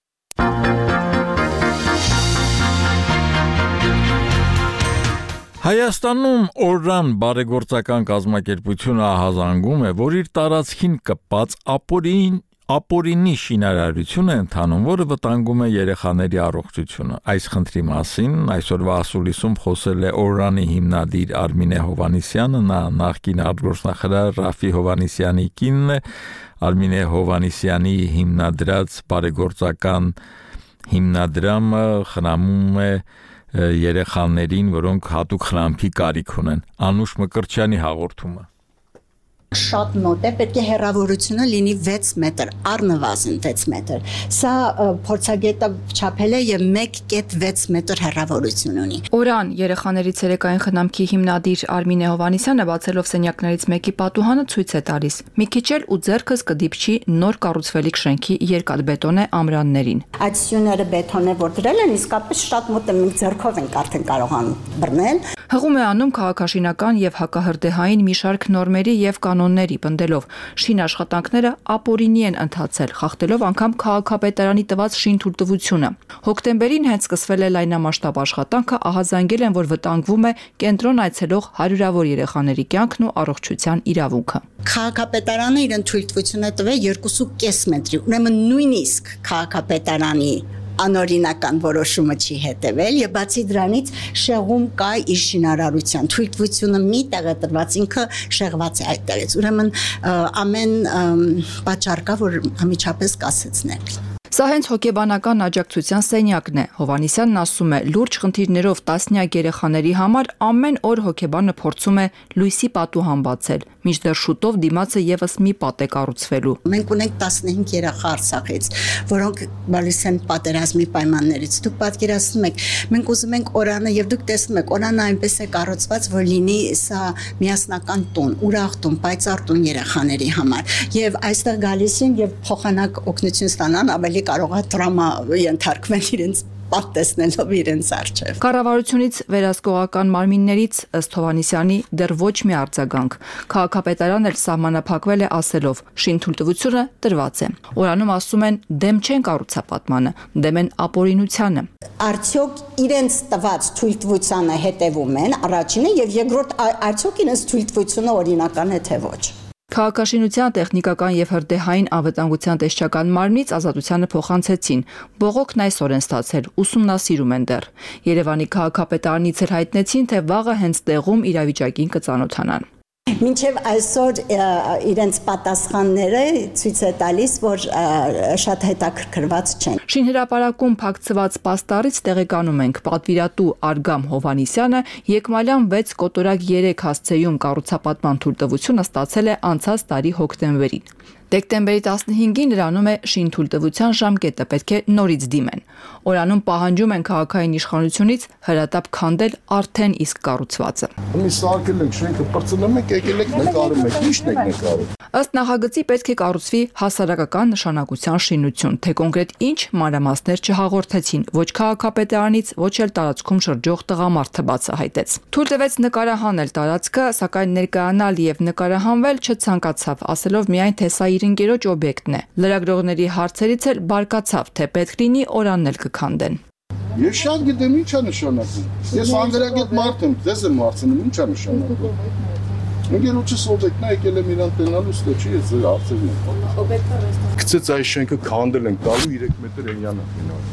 Հայաստանում օրրան բարեգործական կազմակերպությունը ահազանգում է, որ իր տարածքին կպած ապորին ապորինի շինարարություն է ընթանում, որը վտանգում է երեխաների առողջությունը։ Այս խնդրի մասին այսօրվա ասուլիսում խոսել է օրրանի հիմնադիր Արմինե Հովհաննիսյանը, նա նախկին արտգործնախարար Ռաֆի Հովհաննիսյանի կինն է։ Արմինե Հովհաննիսյանի հիմնադրած բարեգործական հիմնադրամը խնամում է երեխաներին, որոնք հատուկ խնամքի կարիք ունեն։ Անուշ Մկրտչյանի հաղորդումը։ Շատ մոտ է, պետք է հեռավորությունը լինի վեց մետր, առնվազն վեց մետր։ Սա փորձագետը չափել է եւ մեկ կետ վեց մետր հեռավորություն ունի։ Օրան երեխաների ցերեկային խնամքի հիմնադիր Արմինե Հովհաննիսյանը բացելով սենյակներից մեկի պատուհանը ցույց է տալիս։ Մի քիչ էլ ու ձեռքս կդիպչի նոր կառուցվելիք շենքի երկաթբետոնե ամրաններին։ Այդ սյուները բետոնե որ դրել են, իսկապես շատ մոտ է, մենք ձեռքով ենք արդեն կարողանում բռնել։ Հղում է անում քաղաքաշինական եւ հակահրդեհային մի շարք նորմերի եւ կանոնների պնդելով շին աշխատանքները ապօրինի են ընթացել, խախտելով անգամ քաղաքապետարանի տված շինթույլտվությունը։ Հոկտեմբերին հենց սկսվել է լայնամասշտաբ աշխատանքը, ահազանգել են, որ վտանգվում է կենտրոն այցելող հարյուրավոր երեխաների կյանքն ու առողջության իրավունքը։ Քաղաքապետարանը իր թույլտվությունը տվել երկու կես մետրի, ուրեմն նույնիսկ քաղաքապետարանի անօրինական որոշումը չի հետևել եւ բացի դրանից շեղում կա իր շինարարության թույլտվությունը մի տեղ է տրված, ինքը շեղված է այդտեղից, ուրեմն ամեն պատճառ կա, որ անմիջապես կասեցնել։ Սա հենց հոգեբանական աջակցության սենյակն է։ Հովհաննիսյանն ասում է, լուրջ խնդիրներով տասնյակ երեխաների համար ամեն օր հոգեբանը փորձում է լույսի պատուհան բացել, մինչդեռ շուտով դիմացը եւս մի պատ է կառուցվելու։ Մենք ունենք տասնհինգ երեխա Արցախից, որոնք գալիս են պատերազմի պայմաններից։ Դուք պատկերացնում եք, մենք ուզում ենք օրանը եւ դուք տեսնում եք, օրանը այնպես է կառուցված, որ լինի սա միասնական տուն, ուրախ տուն, պայծառ տուն երեխաների համար։ Եվ այստեղ գալիս են եւ փոխանակ օգնություն ստանան, ավելի կարող է տրամա ենթարկվել իրենց պատ տեսնելով իրենց առջև։ Կառավարությունից վերահսկողական մարմիններից ըստ Հովհաննիսյանի դեռ ոչ մի արձագանք։ Քաղաքապետարանն էլ սահմանափակվել է ասելով՝ շինթույլտվությունը տրված է։ Օրանում ասում են դեմ չեն կառուցապատմանը, դեմ են ապօրինությանը։ Արդյոք իրենց տված թույլտվությանը հետևում են առաջինը եւ երկրորդ արդյոք իրենց թույլտվությունը օրինական է թե ոչ։ Քաղաքաշինության տեխնիկական եւ հրդեհային անվտանգության տեսչական մարմնից ազատությանը փոխանցեցին։ Բողոքն այսօր են ստացել, ուսումնասիրում են դեռ։ Երևանի քաղաքապետարանից էլ հայտնեցին, թե վաղը հենց տեղում իրավիճակին կծանոթանան։ Մինչև այսօր իրենց պատասխանները ցույց է տալիս, որ շատ հետաքրքրված չեն։ Շինհրապարակում փակցված պաստառից տեղեկանում ենք, պատվիրատու Արգամ Հովհաննիսյանը Եկմալյան վեց կոտորակ երեք հասցեում կառուցապատման թույլտվությունը ստացել է անցած տարի հոկտեմբերին։ Դեկտեմբերի տասնհինգին նրանում է շինթույլտվության ժամկետը, պետք է նորից դիմեն։ Օրանում պահանջում են քաղաքային իշխանությունից հրատապ քանդել արդեն իսկ կառուցվածը։ Մի սարքել ենք շենքը, պրծնում ենք, եկել ենք նկարում ենք, ի՞նչն եք նկարում։ Ըստ նախագծի պետք է կառուցվի հասարակական նշանակության շինություն, թե կոնկրետ ինչ մանրամասներ չհաղորդեցին, ոչ քաղաքապետարանից, ոչ էլ տարածքում շրջող տղամարդը բացահայտեց։ Թույլ տվեց նկարահանել տարածքը, սակայն ներկայանալ եւ նկարահանվել չցանկացավ, ասելով միայն թե սա իր ընկերոջ օբյեկտն է։ Լրագրողների հարցերից էլ բարկացավ, թե պետք լինի օրանն էլ կքանդեն։ Ես շատ գիտեմ ինչ է նշանակում։ Ես անգրագետ մարդ եմ, ձեզ եմ հարցնում, ինչ է նշանակում։ Ընկերոջս օբյեկտն է, եկել եմ իրան տենալու, ստե չի, ես հարցերն եմ։ Գցեց այս շենքը քանդել ենք, տալու երեք մետր էնյանը գնալ։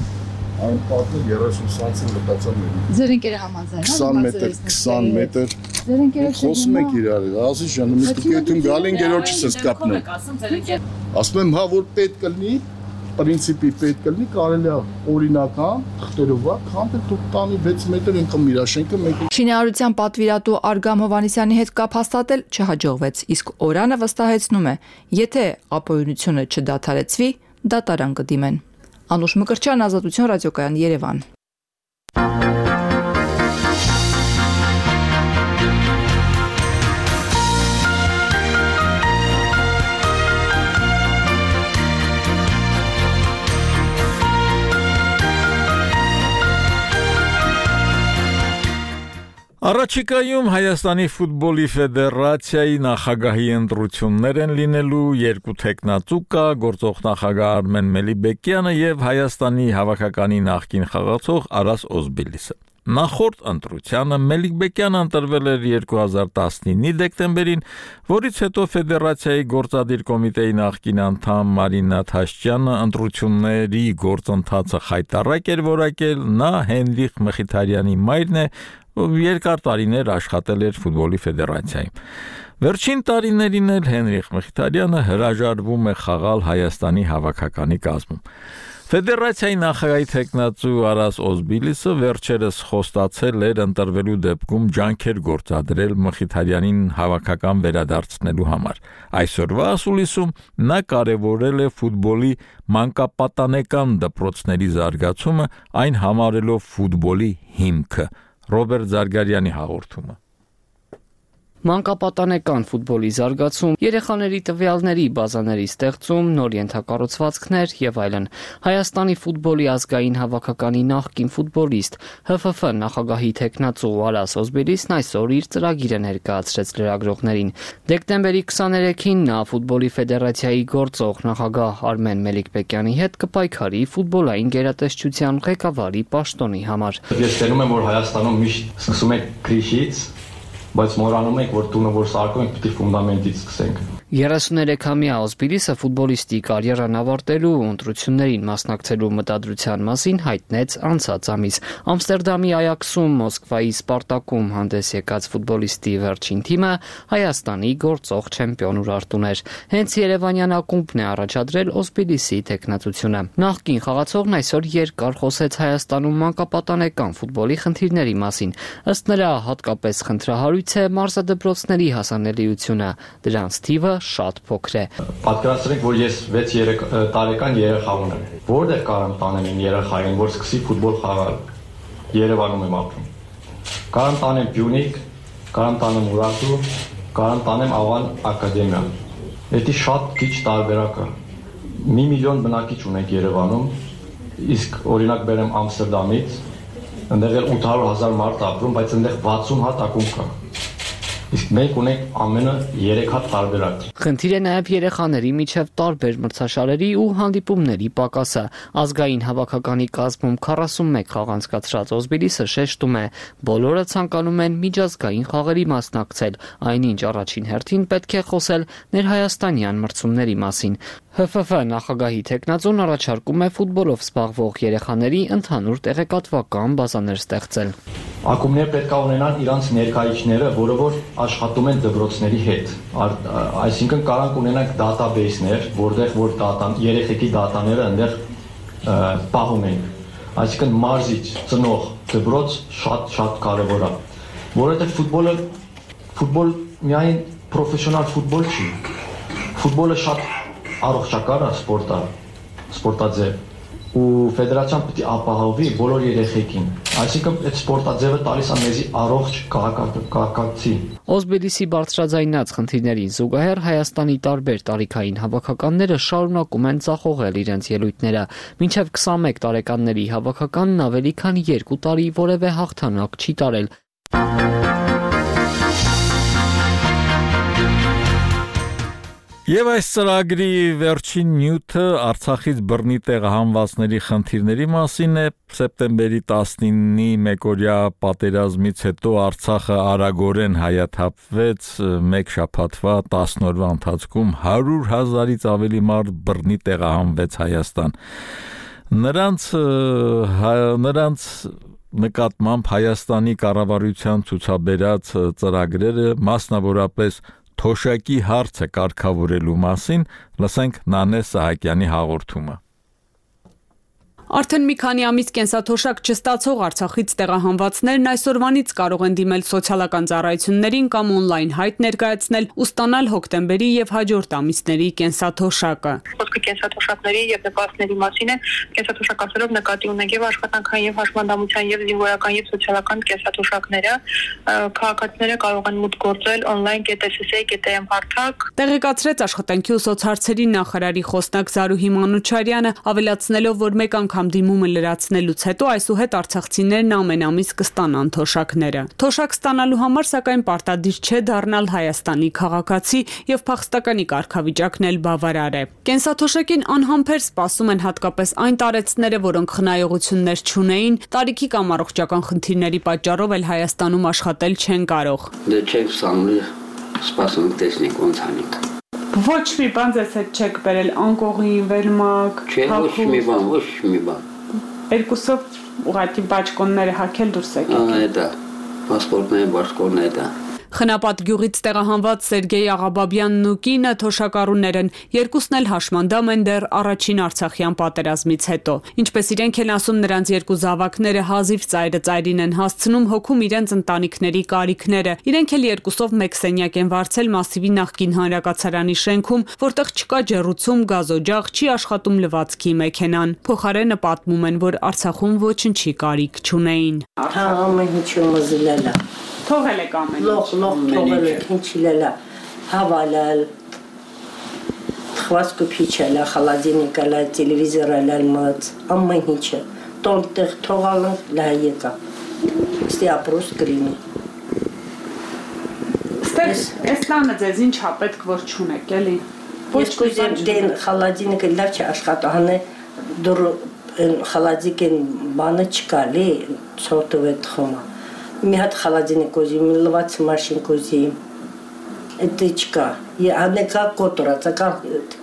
Այն պատը երեսուն սանտիմ մտածան մեր։ Ձեր ընկերը համաձայն է։ քսան մետր, քսան մետր։ Ձեր ընկերը խոսում եք իրար, ասի ջան, մի տուկետում գալ ընկերոջս ես կապնել։ Ասում եմ, հա որ պետք կլինի, պրինցիպի պետք կլինի, կարելի է օրինական թղթերով քանդել դուք տանի վեց մետր ինքը միրաշենքը մեկ։ Շինարարության պատվիրատու Արգամ Հովհաննիսյանի հետ կապ հաստատել չհաջողվեց, իսկ օրանը վստահեցնում է, եթե ապօրինությունը չդադարեցվի, դատարան կդիմեն։ Անուշ Մկրտչյան, Ազատություն ռադիոկայան, Երևան։ Առաջիկայում Հայաստանի ֆուտբոլի ֆեդերացիայի նախագահի ընտրություններ են լինելու, երկու տեխնացու կա, գործող նախագահ Արմեն Մելիբեկյանը եւ Հայաստանի հավաքականի նախկին խաղացող Արաս Օզբիլիսը։ Նախորդ ընտրությանը Մելիբեկյանը ընտրվել էր երկու հազար տասնինի դեկտեմբերին, որից հետո ֆեդերացիայի գործադիր կոմիտեի նախկին անդամ Մարինա Թաշչյանը ընտրությունների գործընթացը խայտառակ էր որակել, նա Հենրիխ Մխիթարյանի մայրն է, երկար տարիներ աշխատել էր ֆուտբոլի ֆեդերացիայում։ Վերջին տարիներին էլ Հենրիխ Մխիթարյանը հրաժարվում է խաղալ Հայաստանի հավաքականի կազմում։ Ֆեդերացիայի նախագահի տեխնացու Արաս Օզբիլիսը վերջերս խոստացել էր ընտրվելու դեպքում ջանքեր գործադրել Մխիթարյանին հավաքական վերադարձնելու համար։ Այսօրվա ասուլիսում նա կարևորել է ֆուտբոլի մանկապատանեկան դպրոցների զարգացումը, այն համարելով ֆուտբոլի հիմքը։ Ռոբերտ Զարգարյանի հաղորդումը։ Մանկապատանեկան ֆուտբոլի զարգացում, երեխաների տվյալների բազաների ստեղծում, նոր ենթակառուցվածքներ եւ այլն։ Հայաստանի ֆուտբոլի ազգային հավաքականի նախկին ֆուտբոլիստ Հ Ֆ Ֆ նախագահի տեխնացու Արաս Օզբիլիսն այսօր իր ծրագիրը ներկայացրեց լրագրողներին։ Դեկտեմբերի քսաներեքին նա ֆուտբոլի ֆեդերացիայի գործող նախագահ Արմեն Մելիքբեկյանի հետ կպայքարի ֆուտբոլային գերատեսչության ղեկավարի պաշտոնի համար։ Ես տենում եմ, որ Հայաստանում միշտ սկսում եք քրիշից, բայց մոռանում եք, որ տունը որ սարքում եք, պիտի ֆունդամենտից սկսենք։ երեսուներեքամյա Օզբիլիսը ֆուտբոլիստի կարիերան ավարտելու ու ընտրություններին մասնակցելու մտադրության մասին հայտնեց անցած ամիս։ Ամստերդամի Այաքսում, Մոսկվայի Սպարտակում հանդես եկած ֆուտբոլիստի վերջին թիմը Հայաստանի գործող չեմպիոն Ուրարտուն էր։ Հենց երևանյան ակումբն է առաջադրել Օզբիլիսի տեխնացությունը։ Նախկին խաղացողն այսօր երկար խոսեց Հայաստանում մանկապատանեկան ֆուտբոլի խնդիրների մասին։ Ըստ նրա, հատկապես խնդրահարույց է մարզադպրոցների հասանելիությունը։ Դրանց թիվը շատ փոքր է։ Պատկերացրեք, որ ես վեց տարեկան երեխա ունեմ։ Որտեղ կարամ տանեմ իմ երեխային, որ սկսի ֆուտբոլ խաղալ։ Երևանում եմ ապրում։ Կարամ տանեմ Բյունիկ, կարամ տանեմ Ուրարտու, կարամ տանեմ Ավան ակադեմիա։ Դա շատ քիչ տարբերակ է։ Մի միլիոն բնակիչ ունենք Երևանում, իսկ օրինակ բերեմ Ամստերդամից, այնտեղ էլ ութ հարյուր հազար մարդ ապրում, բայց այնտեղ վաթսուն հատ ակումբ կա։ Իսկ մենք ունենք ամենը երեք հատ տարբերակ։ Խնդիր է նաև երեխաների միջև տարբեր մրցաշարերի ու հանդիպումների պակասը։ Ազգային հավաքականի կազմում քառասունմեկ խաղ անցկացրած Օզբիլիսը շեշտում է, բոլորը ցանկանում են միջազգային խաղերի մասնակցել, այնինչ առաջին հերթին պետք է խոսել ներհայաստանյան մրցումների մասին։ Հ Ֆ Ֆ նախագահի տեխնացուն առաջարկում է ֆուտբոլով զբաղվող երեխաների ընդհանուր տեղեկատվական բազաներ ստեղծել։ Ակումբները պետք է ունենան իրանց ներկայիչները, որը որ աշխատում են դպրոցների հետ։ Այսինքն կարանք ունենանք դատաբեյսներ, որտեղ որ դատան երեխեքի դատաները այնտեղ պահում են։ Այսինքն մարզիչ, ծնող, դպրոց շատ-շատ կարևոր է, որովհետև ֆուտբոլը ֆուտբոլ միայն պրոֆեսիոնալ ֆուտբոլ չի։ Ֆուտբոլը շատ առողջական է սպորտ է, սպորտաձև, ու ֆեդերացիան պետք է ապահովի բոլոր երեխեքին։ Այսինքն այդ սպորտաձևը տալիս է մեզի առողջ քաղաքացի։ Օզբելիսի բարձրաձայնած խնդիրներին զուգահեռ Հայաստանի տարբեր տարիքային հավաքականները շարունակում են ծախողել իրենց ելույթները։ Մինչև քսանմեկ տարեկանների հավաքականն ավելի քան երկու տարի որևէ հաղթանակ չի տարել։ Եվ այս ծրագրի վերջին նյութը Արցախից բռնի տեղահանվածների խնդիրների մասին է։ Սեպտեմբերի տասնինի մեկօրյա պատերազմից հետո Արցախը արագորեն հայաթափվեց, մեկ շաբաթվա տասն օրվա ընթացքում հարյուր հազարից ավելի մարդ բռնի տեղահանվեց Հայաստան։ Նրանց նրանց նկատմամբ Հայաստանի կառավարության ցուցաբերած ծրագրերը, մասնավորապես Թոշակի հարցը կարգավորելու մասին, լսենք Նանե Սահակյանի հաղորդումը։ Արդեն մի քանի ամիս կենսաթոշակ չստացող Արցախից տեղահանվածներն այսօրվանից կարող են դիմել սոցիալական ծառայություններին կամ օնլայն հայտ ներկայացնել ու ստանալ հոկտեմբերի եւ հաջորդ ամիսների կենսաթոշակը։ Խոսքը կենսաթոշակների եւ նպաստների մասին է, կենսաթոշակ ասելով նկատի ունենք եւ աշխատանքային եւ հաշմանդամության եւ զինվորական եւ սոցիալական կենսաթոշակները, քաղաքացիները կարող են մուտք գործել օնլայն կետեսսեյ կետեմ հարթակ։ Տեղեկացրեց աշխատանքի ու սոցհարցերի նախարարի խոսնակ Զարուհի Մանուչարյանը, ավելացնելով, որ մեկ անգամ դիմումը լրացնելուց հետո այսուհետ արցախցիներն ամեն ամիս կստանան թոշակները։ Թոշակ ստանալու համար սակայն պարտադիր չէ դառնալ Հայաստանի քաղաքացի եւ փախստականի կարգավիճակն էլ բավարար է։ Կենսաթոշակին անհամբեր սպասում են հատկապես այն տարեցները, որոնք խնայողություններ չունեին, տարիքի կամ առողջական խնդիրների պատճառով էլ Հայաստանում աշխատել չեն կարող։ Դե չեք սանուր, սպասում տեսնենք ոնց անենք։ Ոչ մի բան ձեզ հետ չեք բերել, անկողին, վերմակ, չէ, ոչ մի բան, ոչ մի բան։ Երկուսով ուղղակի բաճկոնները հագել դուրս եկեք։ Ահա դա, պասպորտները, բաճկոնները դա։ Խնապատ գյուղից տեղահանված Սերգեյ Աղաբաբյանն ու կինը թոշակառուներ են, երկուսն էլ հաշմանդամ են դեռ առաջին Արցախյան պատերազմից հետո։ Ինչպես իրենք են ասում, նրանց երկու զավակները հազիվ ծայրը ծայրին են հասցնում հոգում իրենց ընտանիքների կարիքները։ Իրենք էլ երկուսով մեկ սենյակ են վարձել Մասիվի նախկին հանրակացարանի շենքում, որտեղ չկա ջեռուցում, գազօջախ, չի աշխատում լվացքի մեքենան։ Փոխարենը պատմում են, որ Արցախում ոչնչի կարիք չունեին։ Հա, ամեն ինչը մզլելա։ Թողել եք ամեն ինչ։ Լող, լող թողել եք, ինչի լելա, հավալալ, թխված կուպիչելա, խալադինիկալա, տելևիզորալալ մած, ամեն ինչը, տոնտեղ թողալը լա եկա, ստի ապրոս կրինի։ Ստեղ, ես լանը ձեզ ինչ հա պետք որ չունեք, էլի։ Ես կուզեմ դեն խալադինիկը լավ չի աշխատահան է, դուր խալադիկ են բանը չկա, լի, ծոտով է թխոմա։ Մի հատ խալադինիկ ուզիմ, լվաց մաշին կուզիմ, էդ չկա, անեկա կոտորացա, կա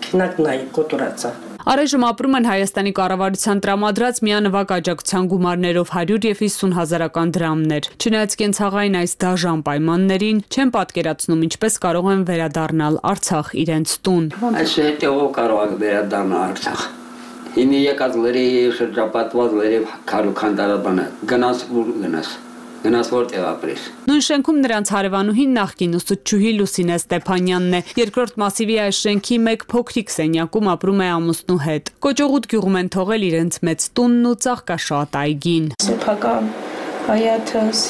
քնակ նայ կոտորացա։ Առայժմ ապրում են Հայաստանի կառավարության տրամադրած միանվագ աջակցության գումարներով հարյուր եւ հիսուն հազարական դրամներ։ Չնայած կենցաղային այս դաժան պայմաններին չեն պատկերացնում ինչպես կարող են վերադառնալ Արցախ իրենց տուն։ Այս հետո կարող եք վերադառնալ Արցախ։ Ինի եկած լրի շրջապատված լրի քարուքանդարաբանը գնաց ու գնաց։ Գնաց որտեղ ապրես։ Նույն շենքում նրանց հարևանուհին նախկին ուսուցչուհի Լուսինե Ստեփանյանն է։ Երկրորդ Մասիվի այս շենքի մեկ փոքրիկ սենյակում ապրում է ամուսնու հետ։ Կոճողուտ գյուղում են թողել իրենց մեծ տունն ու ծաղկաշատ այգին։ Սեփական հայաթս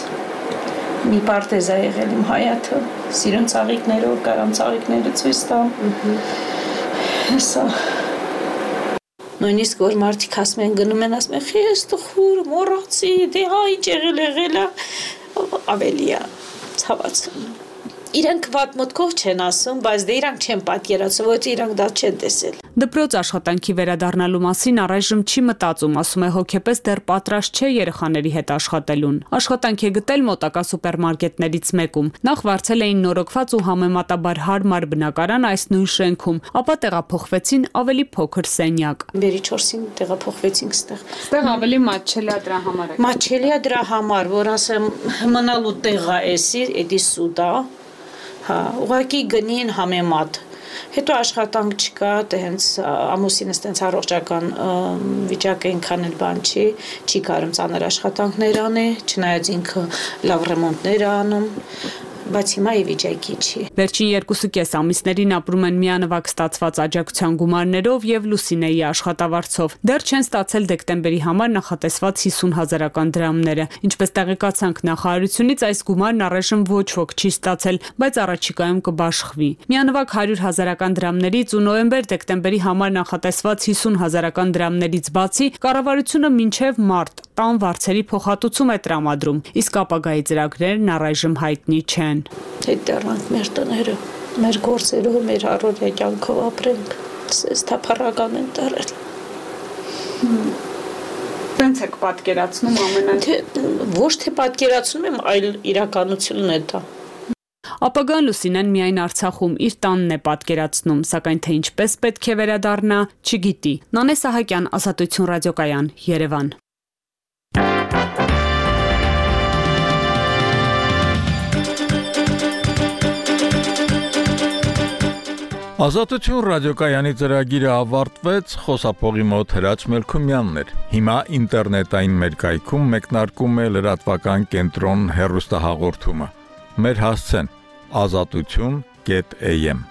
մի պարտեզ է եղել իմ հայաթը, սիրուն ծաղիկներով, կարամ ծաղիկները ցույց տամ։ Հեսա Նույնիսկ որ մարդիկ ասում են գնում են ասում են խես տխուր մոռացի դե հա ինչ եղել եղել է ավելի է ցավաց Իրանք վատ մտքով չեն ասում, բայց դե իրանք չեն պատկերացնում, ոչ իրանք դա չեն տեսել։ Դպրոց աշխատանքի վերադառնալու մասին առայժմ չի մտածում, ասում է հոգեպես դեռ պատրաստ չէ երեխաների հետ աշխատելուն։ Աշխատանք է գտել մոտակա սուպերմարկետներից մեկում։ Նախ վարձել էին նորոգված ու համեմատաբար հարմար բնակարան այս նույն շենքում, ապա տեղափոխվեցին ավելի փոքր սենյակ։ Բերի չորսին տեղափոխվեցինք ստեղ։ Ստեղ ավելի մատչելի է դրա համար։ Մատչելի է դրա համար, որ ասեմ մնալու տեղա էսի, էդի սուդա Հա, ուղղակի գնին համեմատ։ Հետո աշխատանք չկա, դե հենց ամուսինս տենց առողջական վիճակը ինքան էլ բան չի, չի կարում ծանր աշխատանքներ անի, չնայած ինքը լավ ռեմոնտներ է անում, բայց հիմա ի վիճակի չի։ Վերջին երկուսը կես ամիսներին ապրում են միանվագ ստացված աջակցության գումարներով եւ Լուսինեի աշխատավարձով։ Դեռ չեն ստացել դեկտեմբերի համար նախատեսված հիսուն հազարական դրամները։ Ինչպես տեղեկացանք նախարարությունից, այս գումարն առայժմ ոչ ոք չի ստացել, բայց առաջիկայում կբաշխվի։ Միանվագ հարյուր հազարական դրամներից ու նոյեմբեր-դեկտեմբերի համար նախատեսված հիսուն հազարական դրամներից բացի կառավարությունը մինչև մարտ տան վարձերի փոխհատուցում է տրամադրում, իսկ ապագայի ծրագրերն առայժմ հայտնի չեն։ Հետեռանք մեր տները, մեր գործերով, մեր առօրյա կյանքով ապրենք, սես թափառական են տարել։ Ոնց եք պատկերացնում ամենայն։ Ոչ թե պատկերացնում եմ, այլ իրականությունն է դա։ Ապագան Լուսինեն միայն Արցախում իր տանն է պատկերացնում, սակայն թե ինչպես պետք է վերադառնա, չգիտի։ Նանե Սահակյան, Ազատություն ռադիոկայան, Երևան։ Ազատություն ռադիոկայանի ծրագիրը ավարտվեց, խոսափողի մոտ Հրաչ Մելքումյանն էր։ Հիմա ինտերնետային մեր կայքում մեկնարկում է լրատվական կենտրոն հեռուստահաղորդումը։ Մեր հասցեն ազատություն կետ էյ էմ